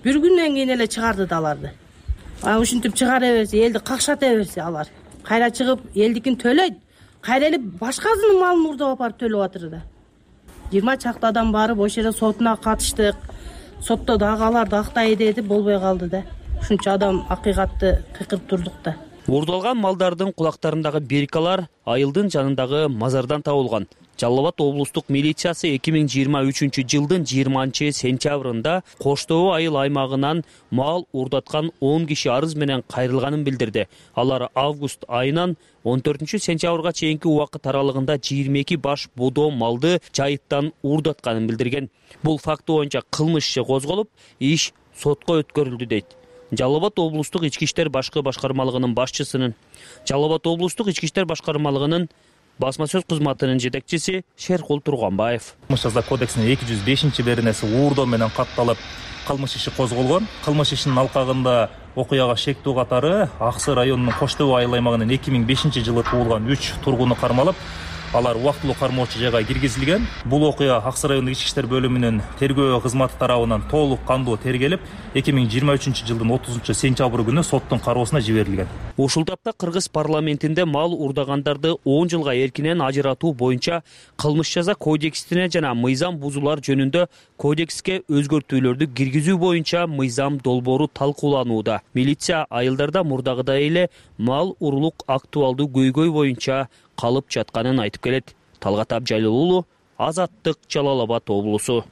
Бир күндөн кийин эле чыгарды да аларды. Анан ушинтип чыгара берсе, элди какшата берсе алар. Кайра чыгып, элдикин төлөйт. Кайра эле башкасынын малын урдап апарып төлөп атыр да. жыйырма чакты адам барып, ошол жерде сотуна катыштык. Сотто дагы аларды актай деди, болбой калды да. Ушунча адам акыйкатты кыйкырып турдук да. Урдалган малдардын кулактарындагы биркалар айылдын жанындагы мазардан табылган. Жалал Абад облустук милициясы эки миң жыйырма үчүнчү жылдын жыйырманчы сентябрында Кош Төбө айыл аймагынан мал урдаткан он киши арыз менен кайрылганын билдирди. Алар август айынан он төртүнчү сентябрга чейинки убакыт аралыгында жыйырма эки баш бодо малды жайыттан урдатканын билдирген. Бул факты боюнча кылмыш иши козголуп, иш сотко өткөрүлдү дейт. Жалал Абад облустук ички иштер башкы башкармалыгынын башчысынын Жалал Абад облустук ички иштер башкармалыгынын басма сөз кызматынын жетекчиси Шеркул Турганбаев. Кылмыш жаза кодексинин эки жүз бешинчи беренеси уурдоо менен катталып, кылмыш иши козголгон. Кылмыш ишинин алкагында окуяга шектүү катары Аксы районунун Кош Төө айыл аймагынын эки миң бешинчи жылы туулган үч тургуну кармалып, алар убактылуу кармоочу жайга киргизилген. Бул окуя Аксы райондук ички иштер бөлүмүнүн тергөө кызматы тарабынан толук кандуу тергелип, эки миң жыйырма үчүнчү жылдын отузунчу сентябрь күнү соттун кароосуна жиберилген. Ушул тапта Кыргыз парламентинде мал урдагандарды он жылга эркинен ажыратуу боюнча кылмыш жаза кодексине жана мыйзам бузуулар жөнүндө кодекске өзгөртүүлөрдү киргизүү боюнча мыйзам долбоору талкууланууда. Милиция айылдарда мурдагыдай эле мал уруулук актуалдуу көйгөй боюнча калып жатканын айтып келет. Талгат Абжалил уулу, Азаттык, Жалал Абад облусу.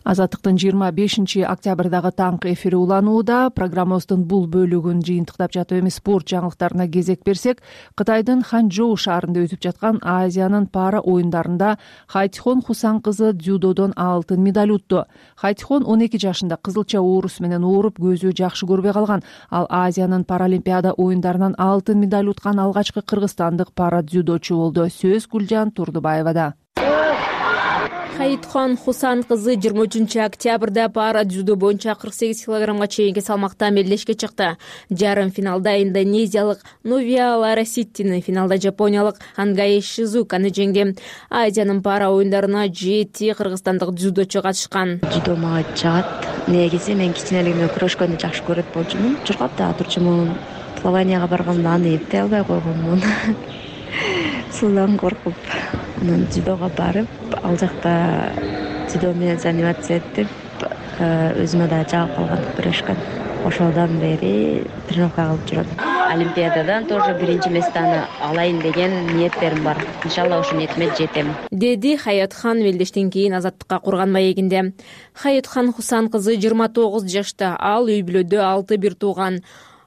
Азаттыктын жыйырма бешинчи октябрдагы таңкы эфири уланууда. Программабыздын бул бөлүгүн жыйынтыктап жатып эми спорт жаңылыктарына кезек берсек, Кытайдын Ханчжоу шаарында өтүп жаткан Азиянын пара оюндарында Хайтихон Хусан кызы дзюдодон алтын медаль утту. Хайтихон он эки жашында кызылча оорус менен ооруп, көзү жакшы көрбөй калган. Ал Азиянын паралимпиада оюндарынан алтын медаль уткан алгачкы кыргызстандык пара дзюдочу болду. Сөз Гүлжан Турдубаевада. Хайтихон Хусан кызы жыйырма үчүнчү октябрда пара дзюдо боюнча кырк сегиз килограммга чейинки салмакта мелдешке чыкты. Жарым финалда индонезиялык Новия Лараситтини, финалда жапониялык Хангай Шизуканы жеңди. Азиянын пара оюндарына жети кыргызстандык дзюдочу катышкан. Дзюдо мага жагат. Негизи мен кичинелигимден күрөшкөндү жакшы көрөт болчумун. Чуркап да турчумун. Плаванияга барганда аны эптей албай койгонмун. Суудан коркуп, анан дзюдого барып, ал жакта дзюдо менен заниматься этип, өзүмө да жагып калган күрөшкөн. Ошодон бери тренировка кылып жүрөм. Олимпиададан тоже биринчи местаны алайын деген ниеттерим бар. Иншалла ошол ниетиме жетем. Деди Хаятхан мелдештен кийин Азаттыкка курган маегинде. Хаятхан Хусан кызы жыйырма тогуз жашта, ал үй бүлөдө алты бир тууган.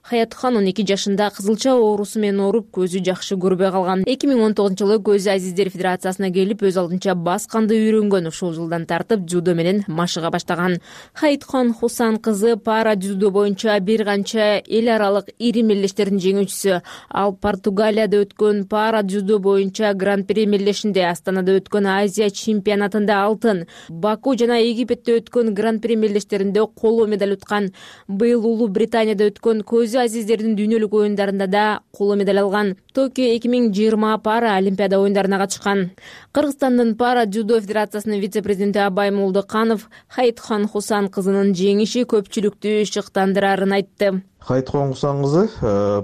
Хаятхан он эки жашында кызылча оорусу менен ооруп, көзү жакшы көрбөй калган. эки миң он тогузунчу жылы Көз Азиздер Федерациясына келип, өз алдынча бас канды үйрөнгөн. Ушул жылдан тартып дзюдо менен машыга баштаган. Хайтихон Хусан кызы пара дзюдо боюнча бир канча эл аралык ири мелдештердин жеңүүчүсү. Ал Португалияда өткөн пара дзюдо боюнча гран-при мелдешинде, Астанада өткөн Азия чемпионатында алтын, Баку жана Египетте өткөн гран-при мелдештеринде коло медаль уткан. Быйыл Улуу Британияда өткөн Көз Азиздердин дүйнөлүк оюндарында да коло медаль алган. Токио эки миң жыйырма пара олимпиада оюндарына катышкан. Кыргызстандын пара дзюдо федерациясынын вице-президенти Абай Молдоканов Хайтихон Хусан кызынын жеңиши көпчүлүктү шыктандырарын айтты. Хайтихон Хусан кызы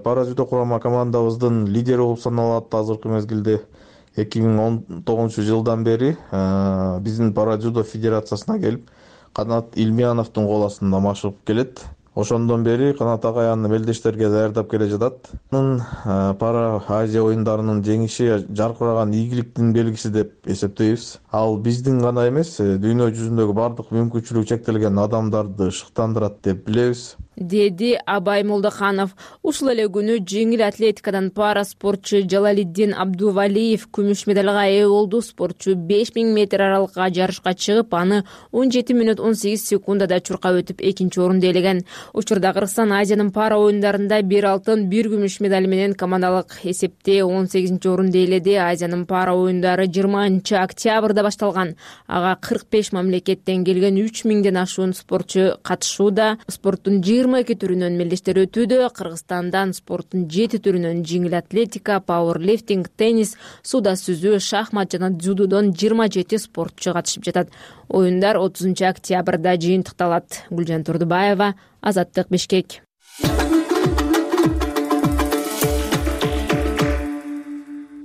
пара дзюдо курама командабыздын лидери болуп саналат. Азыркы мезгилде эки миң он тогузунчу жылдан бери биздин пара дзюдо федерациясына келип, Канат Илмияновдун кол астында машыгып келет. Ошондон бери Канат агай аны мелдештерге даярдап келе жатат. Пара Азия оюндарынын жеңиши жаркыраган ийгиликтин белгиси деп эсептейбиз. Ал биздин гана эмес, дүйнө жүзүндөгү бардык мүмкүнчүлүгү чектелген адамдарды шыктандырат деп билебиз, деди Абай Молдоканов. Ушул эле күнү жеңил атлетикадан пара спортчу Жалалиддин Абдувалиев күмүш медалга ээ болду. Спортчу беш миң метр аралыкка жарышка чыгып, аны он жети мүнөт он сегиз секундада чуркап өтүп экинчи орунду ээлеген. Учурда Кыргызстан Азиянын пара оюндарында бир алтын, бир күмүш медаль менен командалык эсепте он сегизинчи орунду ээледи. Азиянын пара оюндары жыйырманчы октябрда башталган. Ага кырк беш мамлекеттен келген үч миңден ашуун спортчу катышууда. Спорттун жыйырма эки түрүнөн мелдештер өтүүдө. Кыргызстандан спорттун жети түрүнөн жеңил атлетика, пауэрлифтинг, теннис, сууда сүзүү, шахмат жана дзюдодон жыйырма жети спортчу катышып жатат. Оюндар отузунчу октябрда жыйынтыкталат. Гүлжан Турдубаева, Азаттык, Бишкек.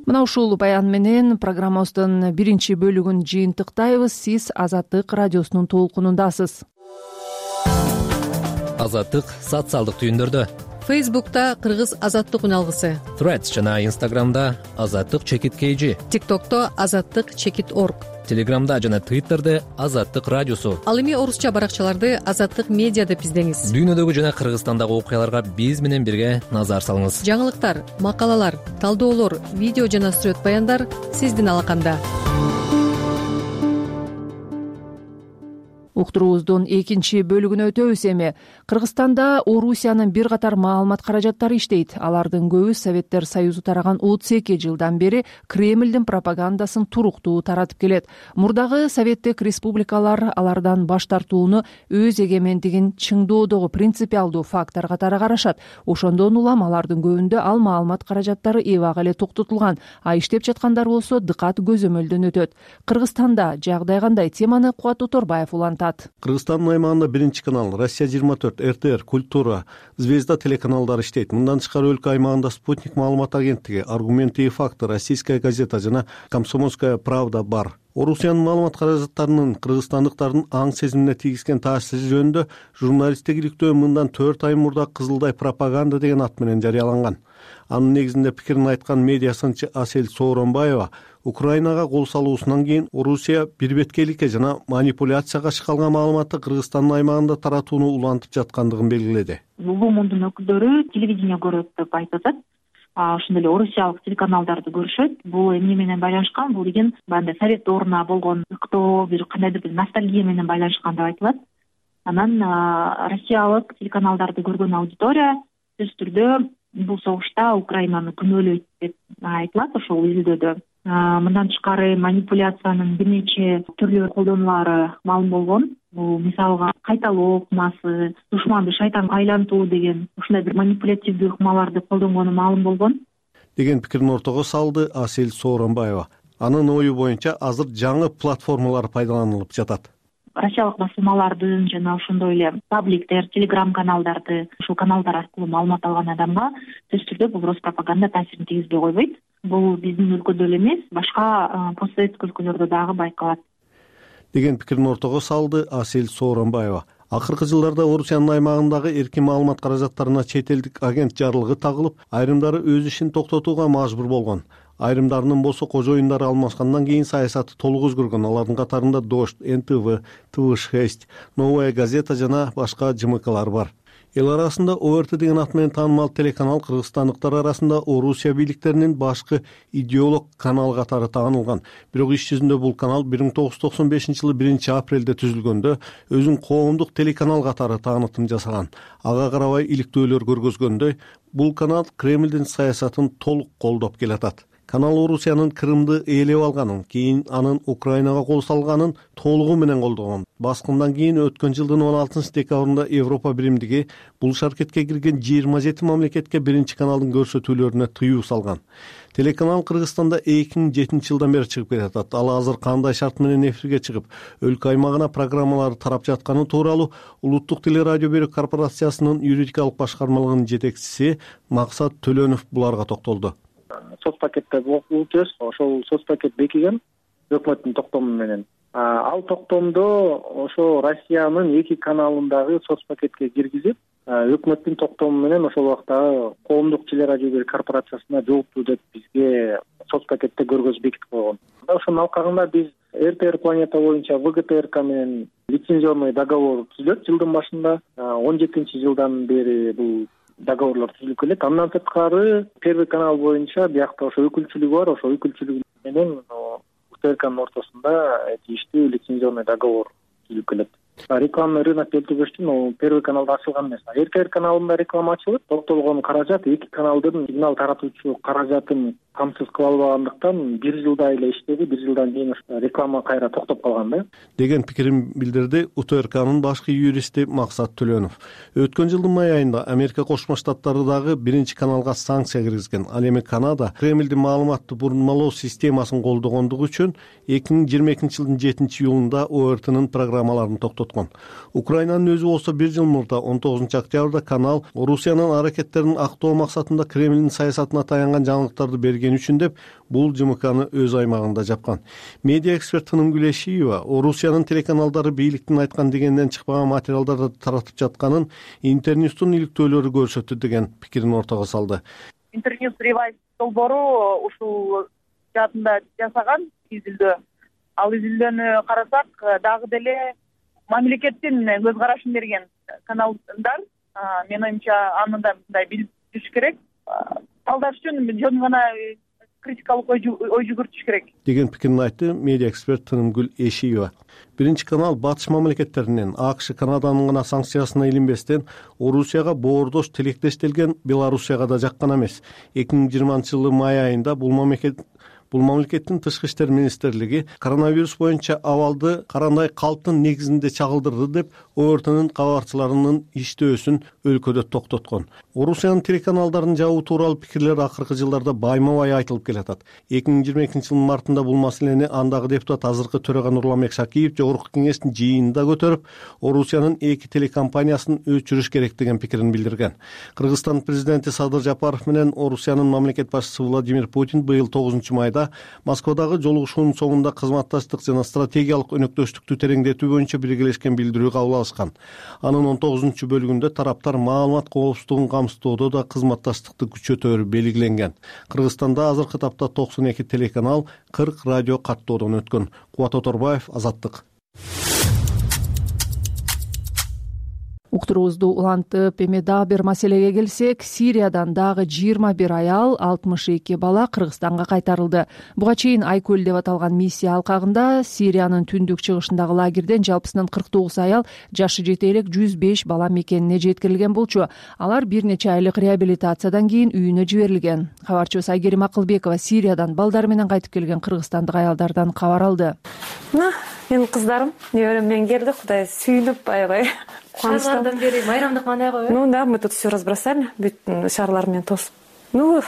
Мына ушул баян менен программабыздын биринчи бөлүгүн жыйынтыктайбыз. Сиз Азаттык радиосунун толкунундасыз. Азаттык социалдык түйүндөрдө. Фейсбукта Кыргыз Азаттык үналгысы, Threads жана Instagramда Азаттык чекит kg, TikTokто Азаттык чекит org, Телеграмда жана Twitterде Азаттык радиосу. Ал эми орусча баракчаларды Азаттык медиа деп издеңиз. Дүйнөдөгү жана Кыргызстандагы окуяларга биз менен бирге назар салыңыз. Жаңылыктар, макалалар, талдоолор, видео жана сүрөт баяндар сиздин алаканда. Уктуруубуздун экинчи бөлүгүнө өтөбүз эми. Кыргызстанда Орусиянын бир катар маалымат каражаттары иштейт. Алардын көбү Советтер Союзу тараган отуз эки жылдан бери Кремлдин пропагандасын туруктуу таратып келет. Мурдагы советтик республикалар алардан баш тартууну өз эгемендигин чыңдоодогу принципиалдуу фактор катары карашат. Ошондон улам алардын көбүндө ал маалымат каражаттары эбак эле токтотулган, а иштеп жаткандар болсо дыкат көзөмөлдөн өтөт. Кыргызстанда жагдай кандай? Теманы Кубат Уторбаев улантат. Кыргызстандын аймагында биринчи канал, Россия жыйырма төрт, эр тэ эр, Культура, Звезда телеканалдары иштейт. Мындан тышкары өлкө аймагында Спутник маалымат агенттиги, Аргументы и факты, Российская газета жана Комсомольская правда бар. Орусиянын маалымат каражаттарынын кыргызстандыктардын аң сезимине тийгизген таасири жөнүндө журналисттик иликтөө мындан төрт ай мурда Кызылдай пропаганда деген ат менен жарыяланган. Анын негизинде пикирин айткан медиа сынчы Асель Сооронбаева Украинага кол салуусунан кийин Орусия бирбеткейликке жана манипуляцияга шыкалган маалыматты Кыргызстандын аймагында таратууну улантып жаткандыгын белгиледи. Бул мундун өкүлдөрү телевидение көрөт деп айтып атат. Ошондой эле орусиялык телеканалдарды көрүшөт. Бул эмне менен байланышкан? Бул деген баягы совет дооруна болгон ыктоо, бир кандайдыр бир ностальгия менен байланышкан деп айтылат. Анан россиялык телеканалдарды көргөн аудитория сөзсүз түрдө бул согушта Украинаны күнөөлөйт деп айтылат ошол изилдөөдө. Мындан тышкары манипуляциянын бир нече түрлүү колдонулары маалым болгон. Бул мисалга кайталоо ыкмасы, душманды шайтанга айлантуу деген ушундай бир манипулятивдүү ыкмаларды колдонгону маалым болгон деген пикирин ортого салды Асель Сооронбаева. Анын ою боюнча азыр жаңы платформалар пайдаланылып жатат. Россиялык басылмалардын жана ошондой эле пабликтер, телеграм каналдарды, ушул каналдар аркылуу маалымат алган адамга сөзсүз түрдө бул пропаганда таасирин тийгизбей койбойт. Бул биздин өлкөдө эле эмес, башка постсоветтик өлкөлөрдө дагы байкалат деген пикирин ортого салды Асель Сооронбаева. Акыркы жылдарда Орусиянын аймагындагы эркин маалымат каражаттарына чет элдик агент жарлыгы тагылып, айрымдары өз ишин токтотууга мажбур болгон. Айрымдарынын болсо кожоюндары алмашкандан кийин саясаты толук өзгөргөн. Алардын катарында Дождь, эн тэ вэ, тэ вэ шесть, Новая газета жана башка жэ эм калар бар. Эл арасында о эр тэ деген ат менен таанымал телеканал кыргызстандыктар арасында Орусия бийликтеринин башкы идеолог канал катары таанылган. Бирок иш жүзүндө бул канал бир миң тогуз жүз токсон бешинчи жылы биринчи апрелде түзүлгөндө өзүн коомдук телеканал катары таанытым жасаган. Ага карабай иликтөөлөр көргөзгөндөй, бул канал Кремлдин саясатын толук колдоп келатат. Канал Орусиянын Крымды ээлеп алганын, кийин анын Украинага кол салганын толугу менен колдогон. Баскындан кийин өткөн жылдын он алтынчы декабрында Европа биримдиги бул шаркетке кирген жыйырма жети мамлекетке биринчи каналдын көрсөтүүлөрүнө тыюу салган. Телеканал Кыргызстанда эки миң жетинчи жылдан бери чыгып келатат. Ал азыр кандай шарт менен эфирге чыгып, өлкө аймагына программалар тарап жатканы тууралуу Улуттук телерадио берүү корпорациясынын юридикалык башкармалыгынын жетекчиси Максат Төлөнов буларга токтолду. Соц пакетте болчубуз, ошол соц пакет бекиген өкмөттүн токтому менен. Ал токтомдо ошо Россиянын эки каналындагы соц пакетке киргизип, өкмөттүн токтому менен ошол убакта коомдук телерадио берүү корпорациясына жооптуу деп бизге соц пакетте көргөзүп бекитип койгон. Ошонун алкагында биз эр тэ эр Планета боюнча вэ гэ тэ эр ка менен лицензионный договор түзүлөт жылдын башында. он жетинчи жылдан бери бул договорлор түзүлүп келет. Андан сырткары Первый канал боюнча биякта ошо өкүлчүлүгү бар, ошо өкүлчүлүгү менен вэ тэ эр канын ортосунда тийиштүү лицензионный договор түзүлүп келет. Рекламный рынок келтүрүштүн Первый каналда ачылган эмес. эр тэ эр каналында реклама ачылып, токтолгон каражат эки каналдын сигнал таратуучу каражатын камсыз кыла албагандыктан бир жылдай эле иштеди, бир жылдан кийин реклама кайра токтоп калган да. Деген пикирин билдирди у тэ эр канын башкы юристи Максат Төлөнов. Өткөн жылдын май айында Америка Кошмо Штаттары дагы биринчи каналга санкция киргизген. Ал эми Канада Кремлдин маалыматты бурмалоо системасын колдогондугу үчүн эки миң жыйырма экинчи жылдын жетинчи июлунда о эр тэнин программаларын токтоткон. Украинанын өзү болсо бир жыл мурда он тогузунчу октябрда канал Орусиянын аракеттерин актоо максатында Кремлдин саясатына таянган жаңылыктарды берген үчүн деп бул жэ эм каны өз аймагында жапкан. Медиа эксперт Тынымгүл Эшиева Орусиянын телеканалдары бийликтин айткан дегенден чыкпаган материалдарды таратып жатканын Интерньюстун иликтөөлөрү көрсөттү деген пикирин ортого салды. Интерньюс ревайз долбоору ушул жаатында жасаган изилдөө. Ал изилдөөнү карасак дагы деле мамлекеттин көз карашын берген каналдар, менин оюмча аны да мындай билип жүрүш керек. Талдаш үчүн жөн гана критикалык ой жүгүртүш керек деген пикирин айтты медиа эксперт Тынымгүл Эшиева. Биринчи канал батыш мамлекеттеринен АКШ, Канаданын гана санкциясына илинбестен Орусияга боордош тилектештелген Белоруссияга да жаккан эмес. эки миң жыйырманчы жылы май айында бул мамлекет Бул мамлекеттин тышкы иштер министрлиги коронавирус боюнча абалды карандай калктын негизинде чагылдырды деп ОРТнын кабарчыларынын иштөөсүн өлкөдө токтоткон. Орусиянын телеканалдарын жабуу тууралуу пикирлер акыркы жылдарда байма-бай айтылып келатат. эки миң жыйырма экинчи жылдын мартында бул маселени андагы депутат азыркы төрага Нурламек Шакиев жогорку кеңештин жыйынында көтөрүп, Орусиянын эки телекомпаниясын өчүрүш керек деген пикирин билдирген. Кыргызстан президенти Садыр Жапаров менен Орусиянын мамлекет башчысы Владимир Путин быйыл тогузунчу майда Москвадагы жолугушуунун соңунда кызматташтык жана стратегиялык өнөктөштүктү тереңдетүү боюнча биргелешкен билдирүү кабыл алышкан. Анын он тогузунчу бөлүгүндө тараптар маалымат коопсуздугун камсыздоодо да кызматташтыкты күчөтөөрү белгиленген. Кыргызстанда азыркы тапта токсон эки телеканал, кырк радио каттоодон өткөн. Кубат Оторбаев, Азаттык. Уктуруубузду улантып, эми дагы бир маселеге келсек, Сириядан дагы жыйырма бир аял, алтымыш эки бала Кыргызстанга кайтарылды. Буга чейин Айкөл деп аталган миссия алкагында Сириянын түндүк чыгышындагы лагерден жалпысынан кырк тогуз аял, жашы жете элек жүз беш бала мекенине жеткирилген болчу. Алар бир нече айлык реабилитациядан кийин үйүнө жиберилген. Кабарчыбыз Айгерим Акылбекова Сириядан балдары менен кайтып келген кыргызстандык аялдардан кабар алды. Мына менин кыздарым неберем менен келди, Кудай сүйүнүп аябай шарлардан бери майрамдык маанай коебу. Ну да, мы тут все разбросали, бүт шарлар менен тосуп. Ну,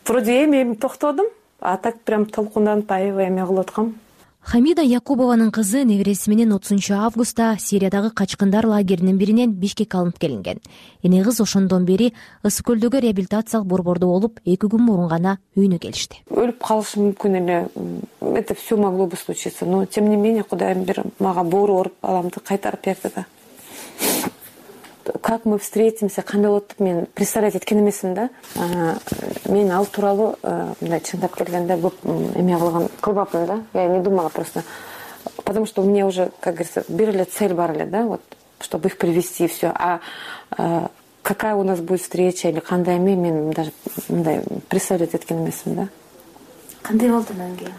вроде эми эми токтодум, а так прям толкунданып аябай эме кылып аткам. Хамида Якубованын кызы небереси менен отузунчу августта Сириядагы качкындар лагеринин биринен Бишкекке алынып келинген. Эне кыз ошондон бери Ысык көлдөгү реабилитациялык борбордо болуп, эки күн мурун гана үйүнө келишти. Өлүп калышы мүмкүн эле. Это все могло бы случиться, но тем не менее Кудайым бир мага боору оруп баламды кайтарып берди да. Как мы встретимся, кандай болот деп мен представлять эткен эмесмин да. Мен ал тууралуу мындай чындап келгенде көп эме кылган кылбапмын да. Я не думала просто, потому что у меня уже, как говорится, бир эле цель бар эле да, вот, чтобы их привести и все. А какая у нас будет встреча или кандай эме мен даже мындай представлять эткен эмесмин да. Кандай болду анан кийин?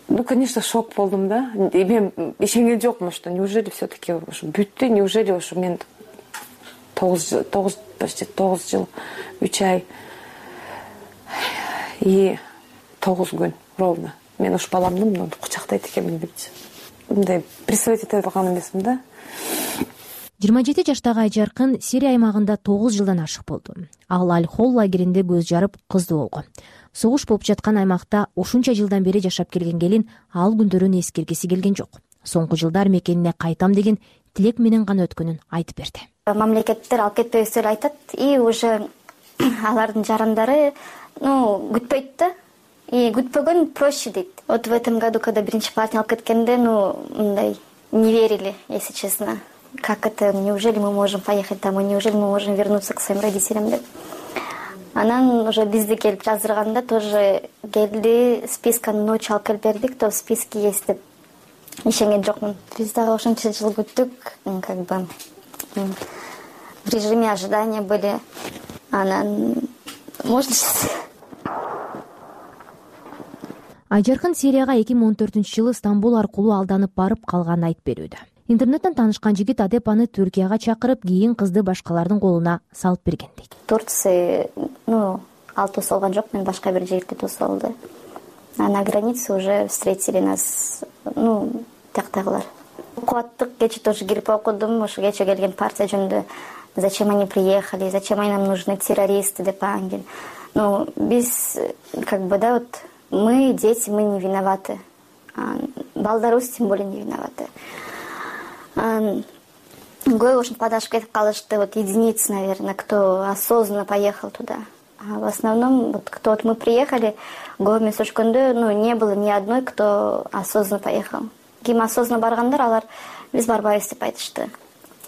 Ну, конечно, шок болдум да. И мен ишенген жокмун, что неужели все-таки бүттү, неужели ушу мен тогуз тогуз почти тогуз жыл, үч ай и тогуз күн ровно мен ушу баламды мынтип кучактайт экенмин депчи. Мындай представить эте алган эмесмин да. жыйырма жети жаштагы Айжаркын Сирия аймагында тогуз жылдан ашык болду. Ал Аль-Хол лагеринде көз жарып кыздуу болгон. Согуш болуп жаткан аймакта ушунча жылдан бери жашап келген келин ал күндөрүн эскергиси келген жок. Соңку жылдар мекенине кайтам деген тилек менен гана өткөнүн айтып берди. Мамлекеттер алып кетпейбиз деп айтат, и уже алардын жарандары, ну, күтпөйт да. И күтпөгөн проще дейт. Вот в этом году, когда биринчи партия алып кеткенде, ну, мындай не верили, если честно. Как это, неужели мы можем поехать домой, неужели мы можем вернуться к своим родителям деп. Анан уже бизди келип жаздырганда тоже келди, списканы ночью алып келип берди, кто в списке есть деп. Ишенген жокмун. Биз дагы ошончо жыл күттүк, как бы в режиме ожидания были. Анан можно сейчас. Айжаркын Сирияга эки миң он төртүнчү жылы Стамбул аркылуу алданып барып калганын айтып берүүдө. Интернеттен таанышкан жигит адеп аны Түркияга чакырып, кийин кызды башкалардын колуна салып берген дейт. Турция, ну, ал тосуп алган жок, мен башка бир жерде тосуп алды. А на границе уже встретили нас, ну, тияктагылар. Кубаттык кече тоже кирип окудум, ошо кече келген партия жөнүндө зачем они приехали, зачем они нам нужны, террористы деп ангел. Ну, биз, как бы, да, вот, мы, дети, мы не виноваты. Балдарыбыз тем более не виноваты. Гой уж подашь кетип калышты, вот единицы, наверное, кто осознанно поехал туда. А в основном, вот кто вот мы приехали, гой мен өчкөндө, ну, не было ни одной, кто осознанно поехал. Ким осознанно баргандар, алар биз барбайбыз деп айтышты.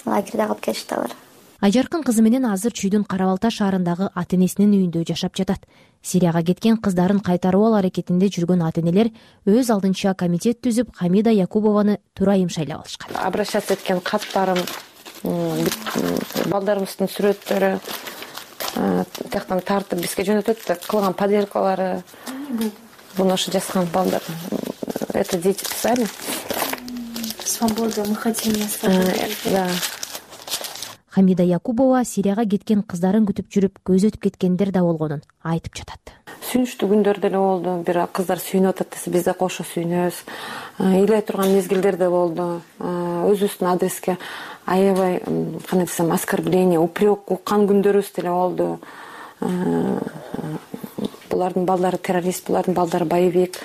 Лагерде калып кетишти алар. Айжаркын кызы менен азыр Чүйдүн Кара-Балта шаарындагы ата-энесинин үйүндө жашап жатат. Сирияга кеткен кыздарын кайтаруу аракетинде жүргөн ата-энелер өз алдынча комитет түзүп, Хамида Якубованы турайым шайлап алышкан. Обращаться эткен каттарым, балдарыбыздын сүрөттөрү тияктан тартып бизге жөнөтөт, кылган поделкалары. буну ошо жазган балдар. Это дети писали. Свобода, мы хотим на свободу. Да. Хамида Якубова Сирияга кеткен кыздарын күтүп жүрүп көз өтүп кеткендер да болгонун айтып жатат. Сүйүнүчтүү күндөр деле болду. Бир кыздар сүйүнүп атат десе, биз да кошо сүйүнөбүз. Ыйлай турган мезгилдер да болду. Өзүбүздүн адреске аябай, кандай десем, оскорбление, упрек уккан күндөрүбүз деле болду. Булардын балдары террорист, булардын балдары боевик,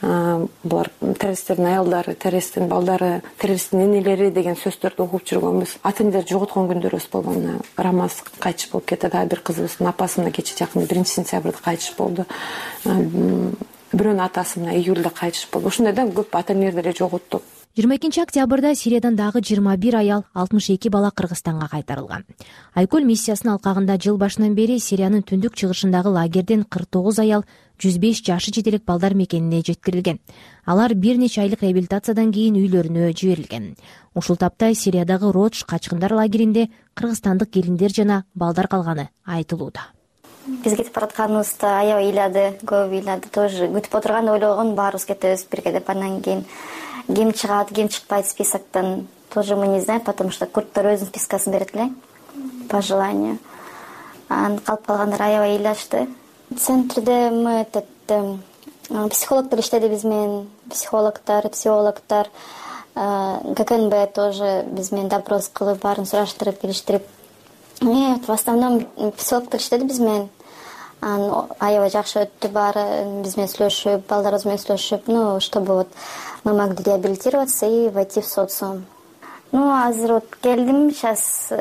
булар террористтердин аялдары, террористтин балдары, террористтин энелери деген сөздөрдү угуп жүргөнбүз. Ата энелер жоготкон күндөрүбүз болгон. Рамаз кайтыш болуп кетти, да бир кызыбыздын апасы мына кече жакында биринчи сентябрда кайтыш болду. Бирөөнүн атасы мына июлда кайтыш болду. Ушундай да көп ата энелер деле жоготтук. жыйырма экинчи октябрда Сириядан дагы жыйырма бир аял, алтымыш эки бала Кыргызстанга кайтарылган. Айкөл миссиясынын алкагында жыл башынан бери Сириянын түндүк чыгышындагы лагерден кырк тогуз аял, жүз беш жашы жетелик балдар мекенине жеткирилген. Алар бир нече айлык реабилитациядан кийин үйлөрүнө жиберилген. Ушул тапта Сириядагы Родж качкындар лагеринде кыргызстандык келиндер жана балдар калганы айтылууда. Биз кетип баратканыбызда аябай ыйлады, көп ыйлады. Тоже күтүп отурган ойлогон баарыбыз кетебиз бирге деп. Андан кийин ким чыгат, ким чыкпайт списоктон тоже мы не знаем, потому что курттар өзүнүн спискасын берет эле по желанию. Анан калып калгандар аябай ыйлашты. Центрде мы этот психологдор иштеди биз менен, психологдор, психологдор, ГКНБ тоже биз менен допрос кылып, баарын сураштырып, билиштирип. В основном психологдор иштеди биз менен. Анан аябай жакшы өттү баары, биз менен сүйлөшүп, балдарыбыз менен сүйлөшүп, ну, чтобы вот мы могли реабилитироваться и войти в социум. Ну, азыр вот келдим, сейчас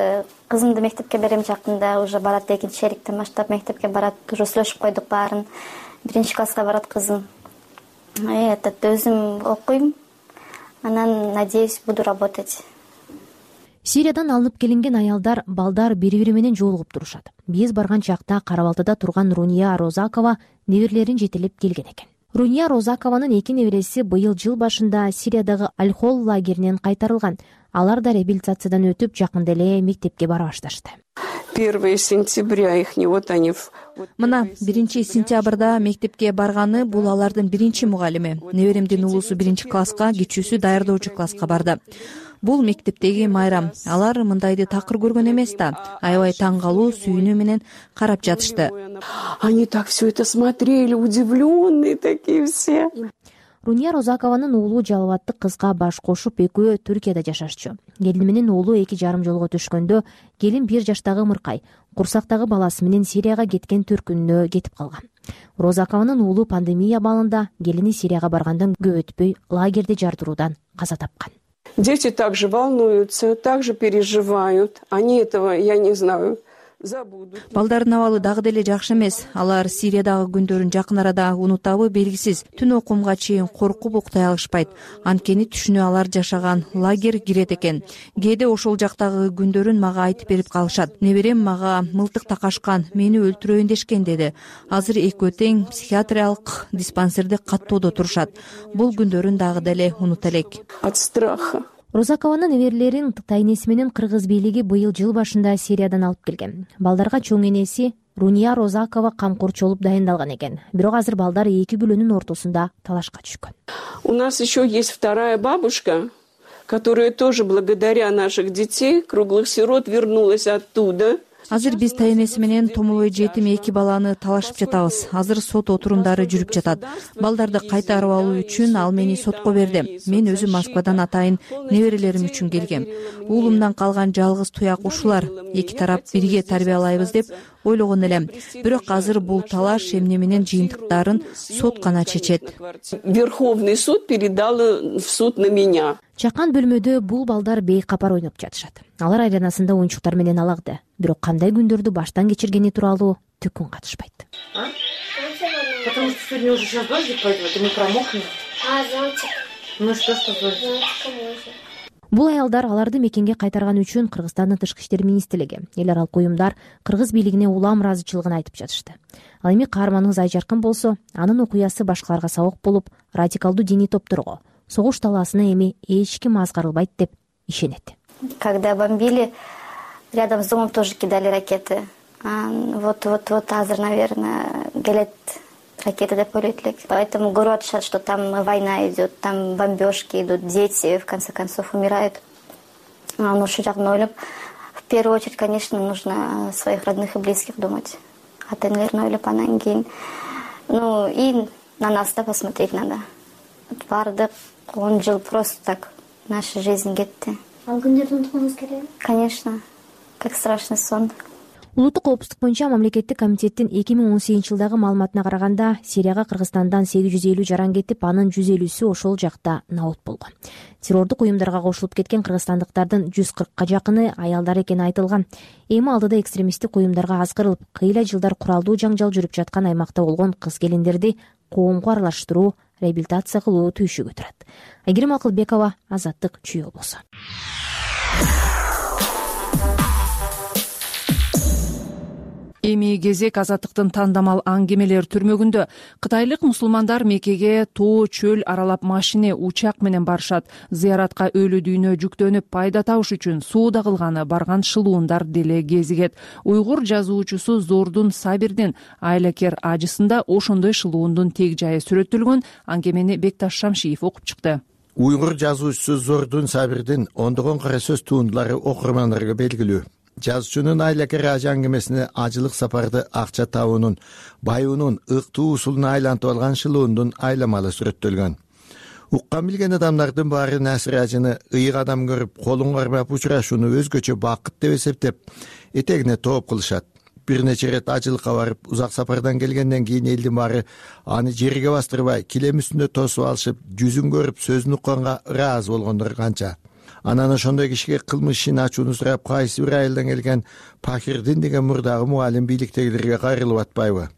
кызымды мектепке берем жакында, уже барат, экинчи шериктен баштап мектепке барат, уже сүйлөшүп койдук баарын. Биринчи класска барат кызым. Этот өзүм окуйм, анан, надеюсь, буду работать. Сириядан алынып келинген аялдар, балдар бири-бири менен жолугуп турушат. Биз барган чакта Кара-Балтада турган Руния Розакова неберелерин жетелеп келген экен. Руния Розакованын эки небереси быйыл жыл башында Сириядагы Аль-Хол лагеринен кайтарылган. Алар да реабилитациядан өтүп, жакында эле мектепке бара башташты. первого сентября их не вот они. Мына биринчи сентябрда мектепке барганы бул алардын биринчи мугалими. Неберемдин уулусу биринчи класска, кичүүсү даярдоочу класска барды. Бул мектептеги майрам. Алар мындайды такыр көргөн эмес да. Аябай таң калуу, сүйүнүү менен карап жатышты. Они так все это смотрели, удивленные такие все. Руния Розакованын уулу жалбаттык кызга баш кошуп экөө Түркияда жашашчу. Келини менен уулу эки жарым жолго түшкөндө келин бир жаштагы ымыркай, курсактагы баласы менен Сирияга кеткен төркүнүнө кетип калган. Розакованын уулу пандемия абалында келини Сирияга баргандан көп өтпөй лагерде жардыруудан каза тапкан. Дети также волнуются, также переживают. Они этого, я не знаю, забудут. Балдардын абалы дагы деле жакшы эмес. Алар Сириядагы күндөрүн жакын арада унутабы белгисиз. Түн окумга чейин коркуп уктай алышпайт. Анткени түшүнө алар жашаган лагерь кирет экен. Кээде ошол жактагы күндөрүн мага айтып берип калышат. Неберем мага мылтык такашкан, мени өлтүрөйүн дешкен деди. Азыр экөө тең психиатриялык диспансерде каттоодо турушат. Бул күндөрүн дагы деле унута элек. От страха. Розакованын неберелерин тайнеси менен кыргыз бийлиги быйыл жыл башында Сириядан алып келген. Балдарга чоң энеси Руния Розакова камкорчу болуп дайындалган экен. Бирок азыр балдар эки бүлөнүн ортосунда талашка түшкөн. У нас еще есть вторая бабушка, которая тоже благодаря наших детей, круглых сирот, вернулась оттуда. Азыр биз тайнеси менен томолой жетим эки баланы талашып жатабыз. Азыр сот отурундары жүрүп жатат. Балдарды кайтарып алуу үчүн ал мени сотко берди. Мен өзүм Москвадан атайын неберелерим үчүн келгем. Уулумдан калган жалгыз туяк ушулар. Эки тарап бирге тарбиялайбыз деп ойлогон элем. Бирок азыр бул талаш эмне менен жыйынтыктарын сот гана чечет. Верховный суд передал в суд на меня. Чакан бөлмөдө бул балдар бейкапар ойноп жатышат. Алар айланасында оюнчуктар менен алакты. Бирок кандай күндөрдү баштан кечиргени тууралуу түкүн катышпайт. Потому что сегодня уже сейчас дождик пойдет, и мы промокнем. А, зонтик. Ну что, что зонтик? Зонтиком можно. Бул аялдар аларды мекенге кайтарган үчүн Кыргызстандын тышкы иштер министрлиги, эл аралык уюмдар кыргыз бийлигине улам ыраазычылыгын айтып жатышты. Ал эми каарманыбыз Айжаркын болсо, анын окуясы башкаларга сабак болуп, радикалдуу диний топторго, согуш талаасына эми эч ким азгарылбайт деп ишенет. Когда бомбили, рядом с домом тоже кидали ракеты. Вот-вот-вот азыр, наверное, келет ракета деп ойлойт элек. Поэтому көрүп атышат, что там война идет, там бомбежки идут, дети в конце концов умирают. Ну, ошол жагын ойлоп, в первую очередь, конечно, нужно о своих родных и близких думать. Ата энелерин ойлоп, анан кийин, ну, и на нас, да, посмотреть надо. Бардык он жыл просто так наша жизнь кетти. Ал күндөрдү унуткуңуз келеби? Конечно, как страшный сон. Улуттук коопсуздук боюнча мамлекеттик комитеттин эки миң он сегизинчи жылдагы маалыматына караганда, Сирияга Кыргызстандан сегиз жүз элүү жаран кетип, анын жүз элүүсү ошол жакта набут болгон. Террордук уюмдарга кошулуп кеткен кыргызстандыктардын жүз кыркка жакыны аялдар экени айтылган. Эми алдыда экстремисттик уюмдарга азгырылып, кыйла жылдар куралдуу жаңжал жүрүп жаткан аймакта болгон кыз-келиндерди коомго аралаштыруу, реабилитация кылуу түйшүгө турат. Айгерим Акылбекова, Азаттык, Чүй облусу. Эми кезек Азаттыктын тандамал аңгемелер түрмөгүндө. Кытайлык мусулмандар Меккеге тоо чөл аралап машине, учак менен барышат. Зыяратка өлү дүйнө жүктөнүп пайда табыш үчүн сууда кылганы барган шылуундар деле кезигет. Уйгур жазуучусу Зордун Сабирдин айлакер ажысында ошондой шылуундун тег жайы сүрөттөлгөн. Аңгемени Бекташ Шамшиев окуп чыкты. Уйгур жазуучусу Зордун Сабирдин ондогон кара сөз туундулары окурмандарга белгилүү. Жазуучунун айлакер ажы аңгемесине ажылык сапарды акча табуунун, байуунун ыктуу усулуна айлантып алган шылуундун айламалы сүрөттөлгөн. Уккан билген адамдардын баары Насир ажыны ыйык адам көрүп, колун кармап учурашууну өзгөчө бакыт деп эсептеп, этегине тооп кылышат. Бир нече ирет ажылыкка барып, узак сапардан келгенден кийин элдин баары аны жерге бастырбай, килем үстүндө тосуп алышып, жүзүн көрүп, сөзүн укканга ыраазы болгондор канча. Анан ошондой кишиге кылмыш ишин ачууну сурап, кайсы бир айылдан келген Пахирдин деген мурдагы мугалим бийликтегилерге кайрылып атпайбы?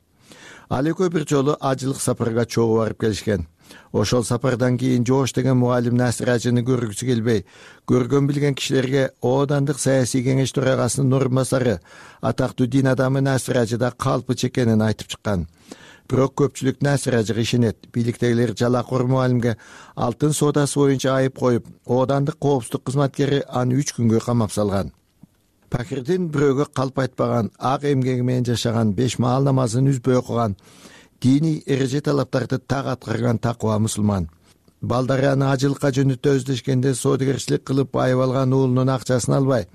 Ал экөө бир жолу ажылык сапарга чогуу барып келишкен. Ошол сапардан кийин Жоош деген мугалим Насир ажыны көргүсү келбей, көргөн билген кишилерге Оодандык саясий кеңеш төрагасынын орун басары, атактуу дин адамы Насир ажыда калпыч экенин айтып чыккан. Бирок көпчүлүк Насир ажыга ишенет. Бийликтегилер жалакор мугалимге алтын соодасы боюнча айып коюп, Оодандык коопсуздук кызматкери аны үч күнгө камап салган. Пакирдин бирөөгө калп айтпаган, ак эмгеги менен жашаган, беш маал намазын үзбөй окуган, диний эреже талаптарды так аткарган такыба мусулман. Балдары аны ажылыкка жөнөтө өздөшкенде соодагерчилик кылып байып алган уулунун акчасын албай,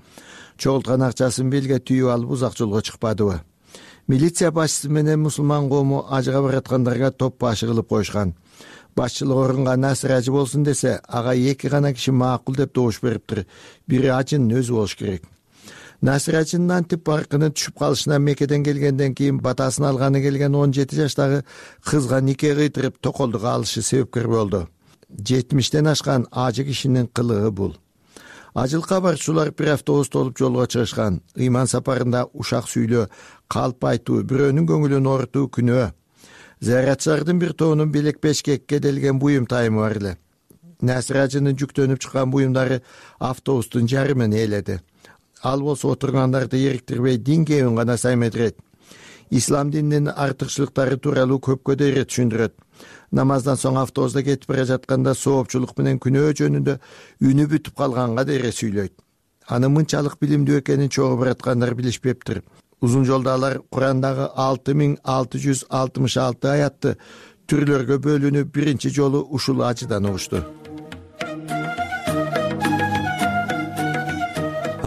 чогулткан акчасын белге түйүп алып узак жолго чыкпадыбы? Милиция башчысы менен мусулман коому ажыга бараткандарга топ башы кылып коюшкан. Башчылык орунга Насир ажы болсун десе, ага эки гана киши макул деп добуш бериптир. Бири ажынын өзү болуш керек. Насир ажынын антип баркынын түшүп калышына Меккеден келгенден кийин батасын алганы келген он жети жаштагы кызга нике кыйтырып токолдук алышы себепкер болду. жетимиштен ашкан ажы кишинин кылыгы бул. Ажылыкка барчулар бир автобус толуп жолго чыгышкан. Ыйман сапарында ушак сүйлөө, калп айтуу, бирөөнүн көңүлүн оорутуу күнөө. Зыяратчылардын бир тобунун белек бешкекке делген буюм тайымы бар эле. Насир ажынын жүктөнүп чыккан буюмдары автобустун жарымын ээледи. Ал болсо отургандарды эриктирбей дин кебин гана саймедирет. Ислам дининин артыкчылыктары тууралуу көпкө да ирет түшүндүрөт. Намаздан соң автобуста кетип бара жатканда соопчулук менен күнөө жөнүндө үнү бүтүп калганга дере сүйлөйт. Аны мынчалык билимдүү экенин чогуу бараткандар билишпептир. Узун жолдо алар Курандагы алты миң алты жүз алтымыш алты аятты түрлөргө бөлүнүп биринчи жолу ушул ажыдан угушту.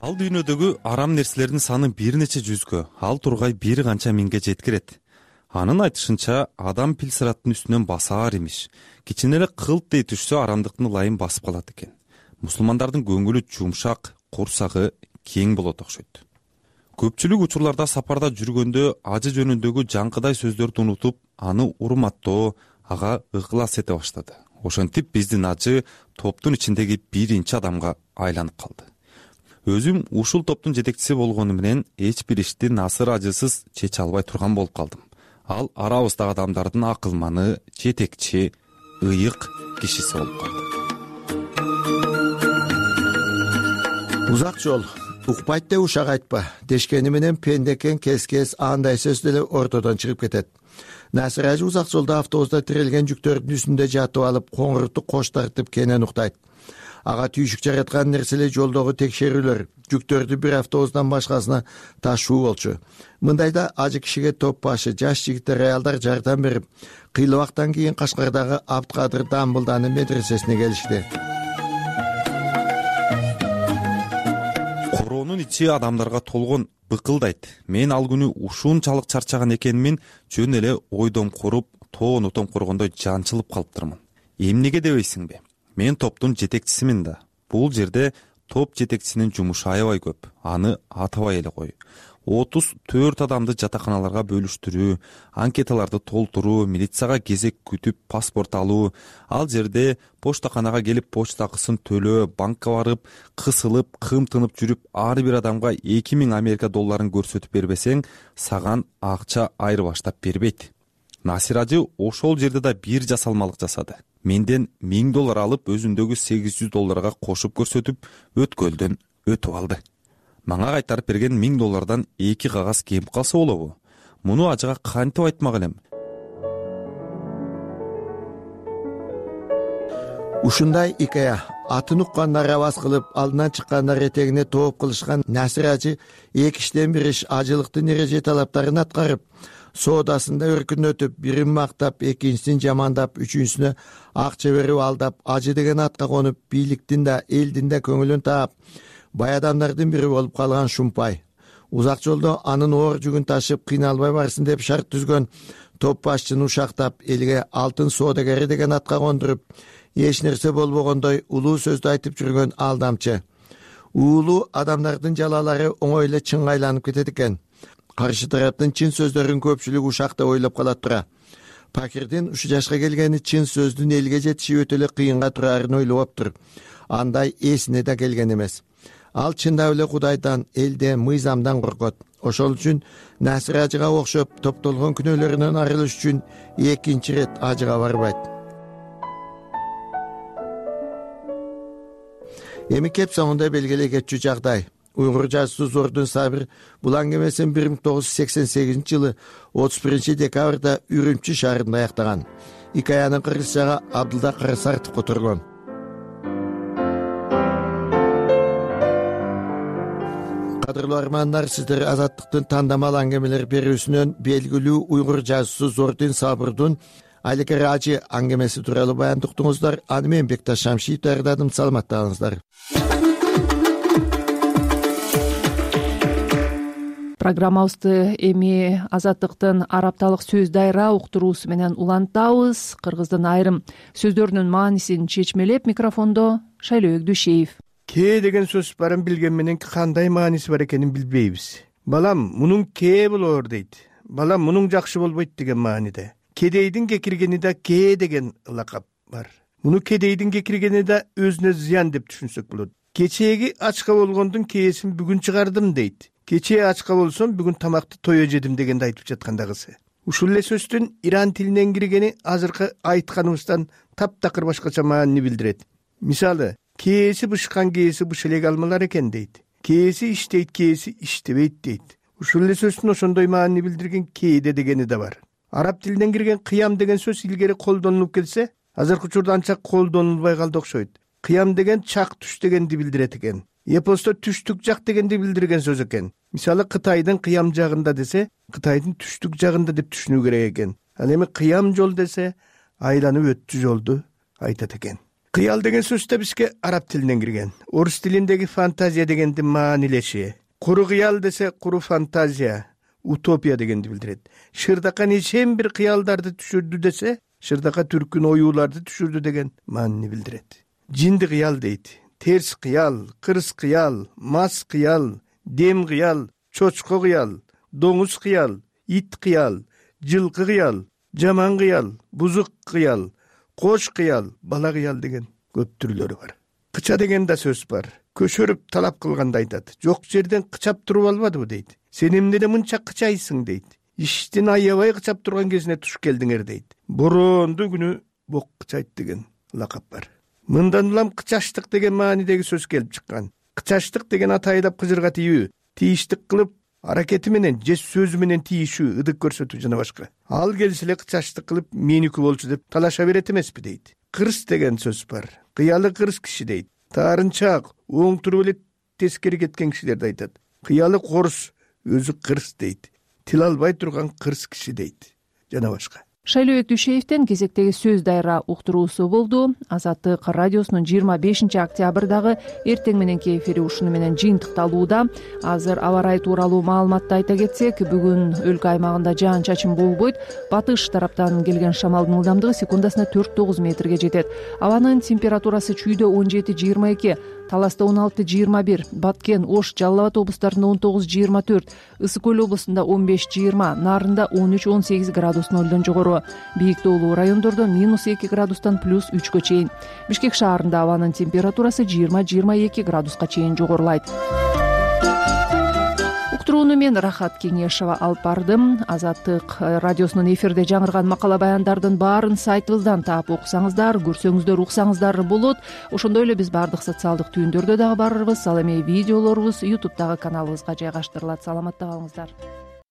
Ал дүйнөдөгү арам нерселердин саны бир нече жүзгө, ал тургай бир канча миңге жеткирет. Анын айтышынча, адам пил сыраттын үстүнөн басаар имиш. Кичине эле кылт дей түшсө арамдыктын ылайын басып калат экен. Мусулмандардын көңүлү жумшак, курсагы кең болот окшойт. Көпчүлүк учурларда сапарда жүргөндө ажы жөнүндөгү жаңкыдай сөздөрдү унутуп, аны урматтоо, ага ыклас эте баштады. Ошентип биздин ажы топтун ичиндеги биринчи адамга айланып калды. Өзүм ушул топтун жетекчиси болгону менен эч бир ишти Насыр ажысыз чече албай турган болуп калдым. Ал арабыздагы адамдардын акылманы, жетекчи, ыйык кишиси болуп калды. Узак жол, укпайт деп ушак айтпа дешкени менен пендекен кес-кес андай сөз деле ортодон чыгып кетет. Насыр ажы узак жолдо автобуста тирелген жүктөрдүн үстүндө жатып алып, коңуртуп кош тартып кенен уктайт. ага түйшүк жараткан нерселер жолдогу текшерүүлөр жүктөрдү бир автобустан башкасына ташуу болчу. Мындайда ажы кишиге топ башы жаш жигиттер, аялдар жардам берип, кыйлыбактан кийин Кашкардагы Абдыкадыр Дамбылданы медресесине келишти. Короонун ичи адамдарга толгон быкылдайт. Мен ал күнү ушунчалык чарчаган экенмин, жөн эле ойдон куруп, тоон отон коргондой жанчылып калыптырмын. Эмнеге дебейсиңби? Мен топтун жетекчисимин да. Бул жерде топ жетекчисинин жумушу аябай көп. Аны атабай эле кой. отуз төрт адамды жатаканаларга бөлүштүрүү, анкеталарды толтуруу, милицияга кезек күтүп паспорт алуу, ал жерде поштаканага келип почта акысын төлөө, банкка барып, кысылып, кымтынып жүрүп, ар бир адамга эки миң Америка долларын көрсөтүп бербесең, саган акча айыр баштап бербейт. Насир ажы ошол жерде да бир жасалмалык жасады. Менден миң доллар алып, өзүндөгү сегиз жүз долларга кошуп көрсөтүп, өткөлдөн өтүп алды. Мага кайтарып берген миң доллардан эки кагаз кемип калса болобу? Муну ажыга кантип айтмак элем? Ушундай икая атын уккандар аваз кылып, алдынан чыккандар этегине тооп кылышкан Насир ажы эки иштен бир иш ажылыктын эреже талаптарын аткарып, соодасында өркүнөтүп, бирин мактап, экинчисин жамандап, үчүнчүсүнө акча берип алдап, ажы деген атка конуп, бийликтин да, элдин да көңүлүн таап, бай адамдардын бири болуп калган Шумпай. Узак жолдо анын оор жүгүн ташып, кыйналбай барсын деп шарт түзгөн топ башчыны ушактап, элге алтын соодагери деген атка кондуруп, эч нерсе болбогондой улуу сөздү айтып жүргөн алдамчы. Уулуу адамдардын жалалары оңой эле чынга айланып кетет экен. Каршы тараптын чын сөздөрүн көпчүлүк ушакта ойлоп калат тура. Пакирдин ушу жашка келгени чын сөздүн элге жетиши өтө эле кыйынга турарын ойлоптур. Андай эсине да келген эмес. Ал чындап эле Кудайдан, элден, мыйзамдан коркот. Ошол үчүн Насир ажыга окшоп топтолгон күнөөлөрүнөн арылыш үчүн экинчи ирет ажыга барбайт. Эми кеп соңунда белгилей кетчү жагдай. Уйгур жазуусу Зордун Сабир бул аңгемесин бир миң тогуз жүз сексен сегизинчи жылы отуз биринчи декабрда Үрүмчү шаарында аяктаган. Икаянын кыргызчага Абдылда Карасартов которгон. Кадырлуу армандар, сиздер Азаттыктын тандамал аңгемелер берүүсүнөн белгилүү уйгур жазуусу Зордун Сабырдын Айлекер ажы аңгемеси тууралуу баяндыктыңыздар. Аны мен Бекташ Шамшиев даярдадым. Саламаттаңыздар. Программабызды эми Азаттыктын арапталык сөз дайра уктуруусу менен улантабыз. Кыргыздын айрым сөздөрүнүн маанисин чечмелеп, микрофондо Шайлообек Дүйшеев. Ке деген сөз барын билген менен кандай мааниси бар экенин билбейбиз. Балам, мунун ке болоор дейт. Балам, мунун жакшы болбойт деген мааниде. Кедейдин кекиргени да ке деген лакап бар. Муну кедейдин кекиргени да өзүнө зыян деп түшүнсөк болот. Кечээги ачка болгондун кээсин бүгүн чыгардым дейт. Кечээ ачка болсом бүгүн тамакты тое жедим дегенди айтып жаткандагысы. Ушул эле сөздүн иран тилинен киргени азыркы айтканыбыздан таптакыр башкача маани билдирет. Мисалы, кээси бышкан кээси быш элек алмалар экен дейт. Кээси иштейт, кээси иштебейт дейт. Ушул эле сөздүн ошондой маани билдирген кээде дегени да бар. Араб тилинен кирген кыям деген сөз илгери колдонулуп келсе, азыркы учурда анча колдонулбай калды окшойт. Кыям деген чак түш дегенди билдирет экен. Эпосто түштүк жак дегенди билдирген сөз экен. Мисалы, Кытайдын кыям жагында десе, Кытайдын түштүк жагында деп түшүнүү керек экен. Ал эми кыям жол десе, айланып өттү жолду айтат экен. Кыял деген сөз да бизге араб тилинен кирген. Орус тилиндеги фантазия дегенди маанилеши. Куру кыял десе, куру фантазия, утопия дегенди билдирет. Шырдака нечен бир кыялдарды түшүрдү десе, шырдака түркүн оюуларды түшүрдү деген маанини билдирет. Жинди кыял дейт. Терс кыял, кырс кыял, мас кыял, дем кыял, чочко кыял, доңуз кыял, ит кыял, жылкы кыял, жаман кыял, бузук кыял, кош кыял, бала кыял деген көп түрлөрү бар. Кыча деген да сөз бар. Көшөрүп талап кылганда айтат. Жок жерден кычап туруп албадыбы дейт. Сен эмнеде мынча кычайсың дейт. Иштин аябай кычап турган кезине туш келдиңер дейт. Борондуу күнү бок кычайт деген лакап бар. Мындан улам кычаштык деген маанидеги сөз келип чыккан. Кычаштык деген аты айдап кыжырга тийүү, тийиштик кылып, аракети менен же сөзү менен тийишүү, ыдык көрсөтүү жана башка. Ал келсе эле кычаштык кылып, меники болчу деп талаша берет эмеспи дейт. Кырс деген сөз бар. Кыялы кырс киши дейт. таарынчаак оң туруп эле тескери кеткен кишилерди айтат. Кыялы корус өзү кырс дейт, тил албай турган кырс киши дейт жана башка. Шайлообек Дүйшеевден кезектеги сөз дайра уктуруусу болду. Азаттык радиосунун жыйырма бешинчи октябрдагы эртең мененки эфири ушуну менен жыйынтыкталууда. Азыр аба ырайы тууралуу маалыматты айта кетсек, бүгүн өлкө аймагында жаан чачын болбойт. Батыш тараптан келген шамалдын ылдамдыгы секундасына төрт тогуз метрге жетет. Абанын температурасы чүйдө он жети жыйырма эки, Таласта он алты жыйырма бир, Баткен, Ош, Жалал Абад облустарында он тогуз жыйырма төрт, Ысык көл облусунда он беш жыйырма, Нарында он үч он сегиз градус нолдон жогору. Бийик тоолуу райондордо минус эки градустан плюс үчкө чейин. Бишкек шаарында абанын температурасы жыйырма жыйырма эки градуска чейин жогорулайт. Уктурууну мен Рахат Кеңешова алып бардым. Азаттык радиосунун эфирде жаңырган макала баяндардын баарын сайтыбыздан таап окусаңыздар, көрсөңүздөр, уксаңыздар болот. Ошондой эле биз баардык социалдык түйүндөрдө дагы барбыз. Ал эми видеолорубуз ютубтагы каналыбызга жайгаштырылат. Саламатта калыңыздар.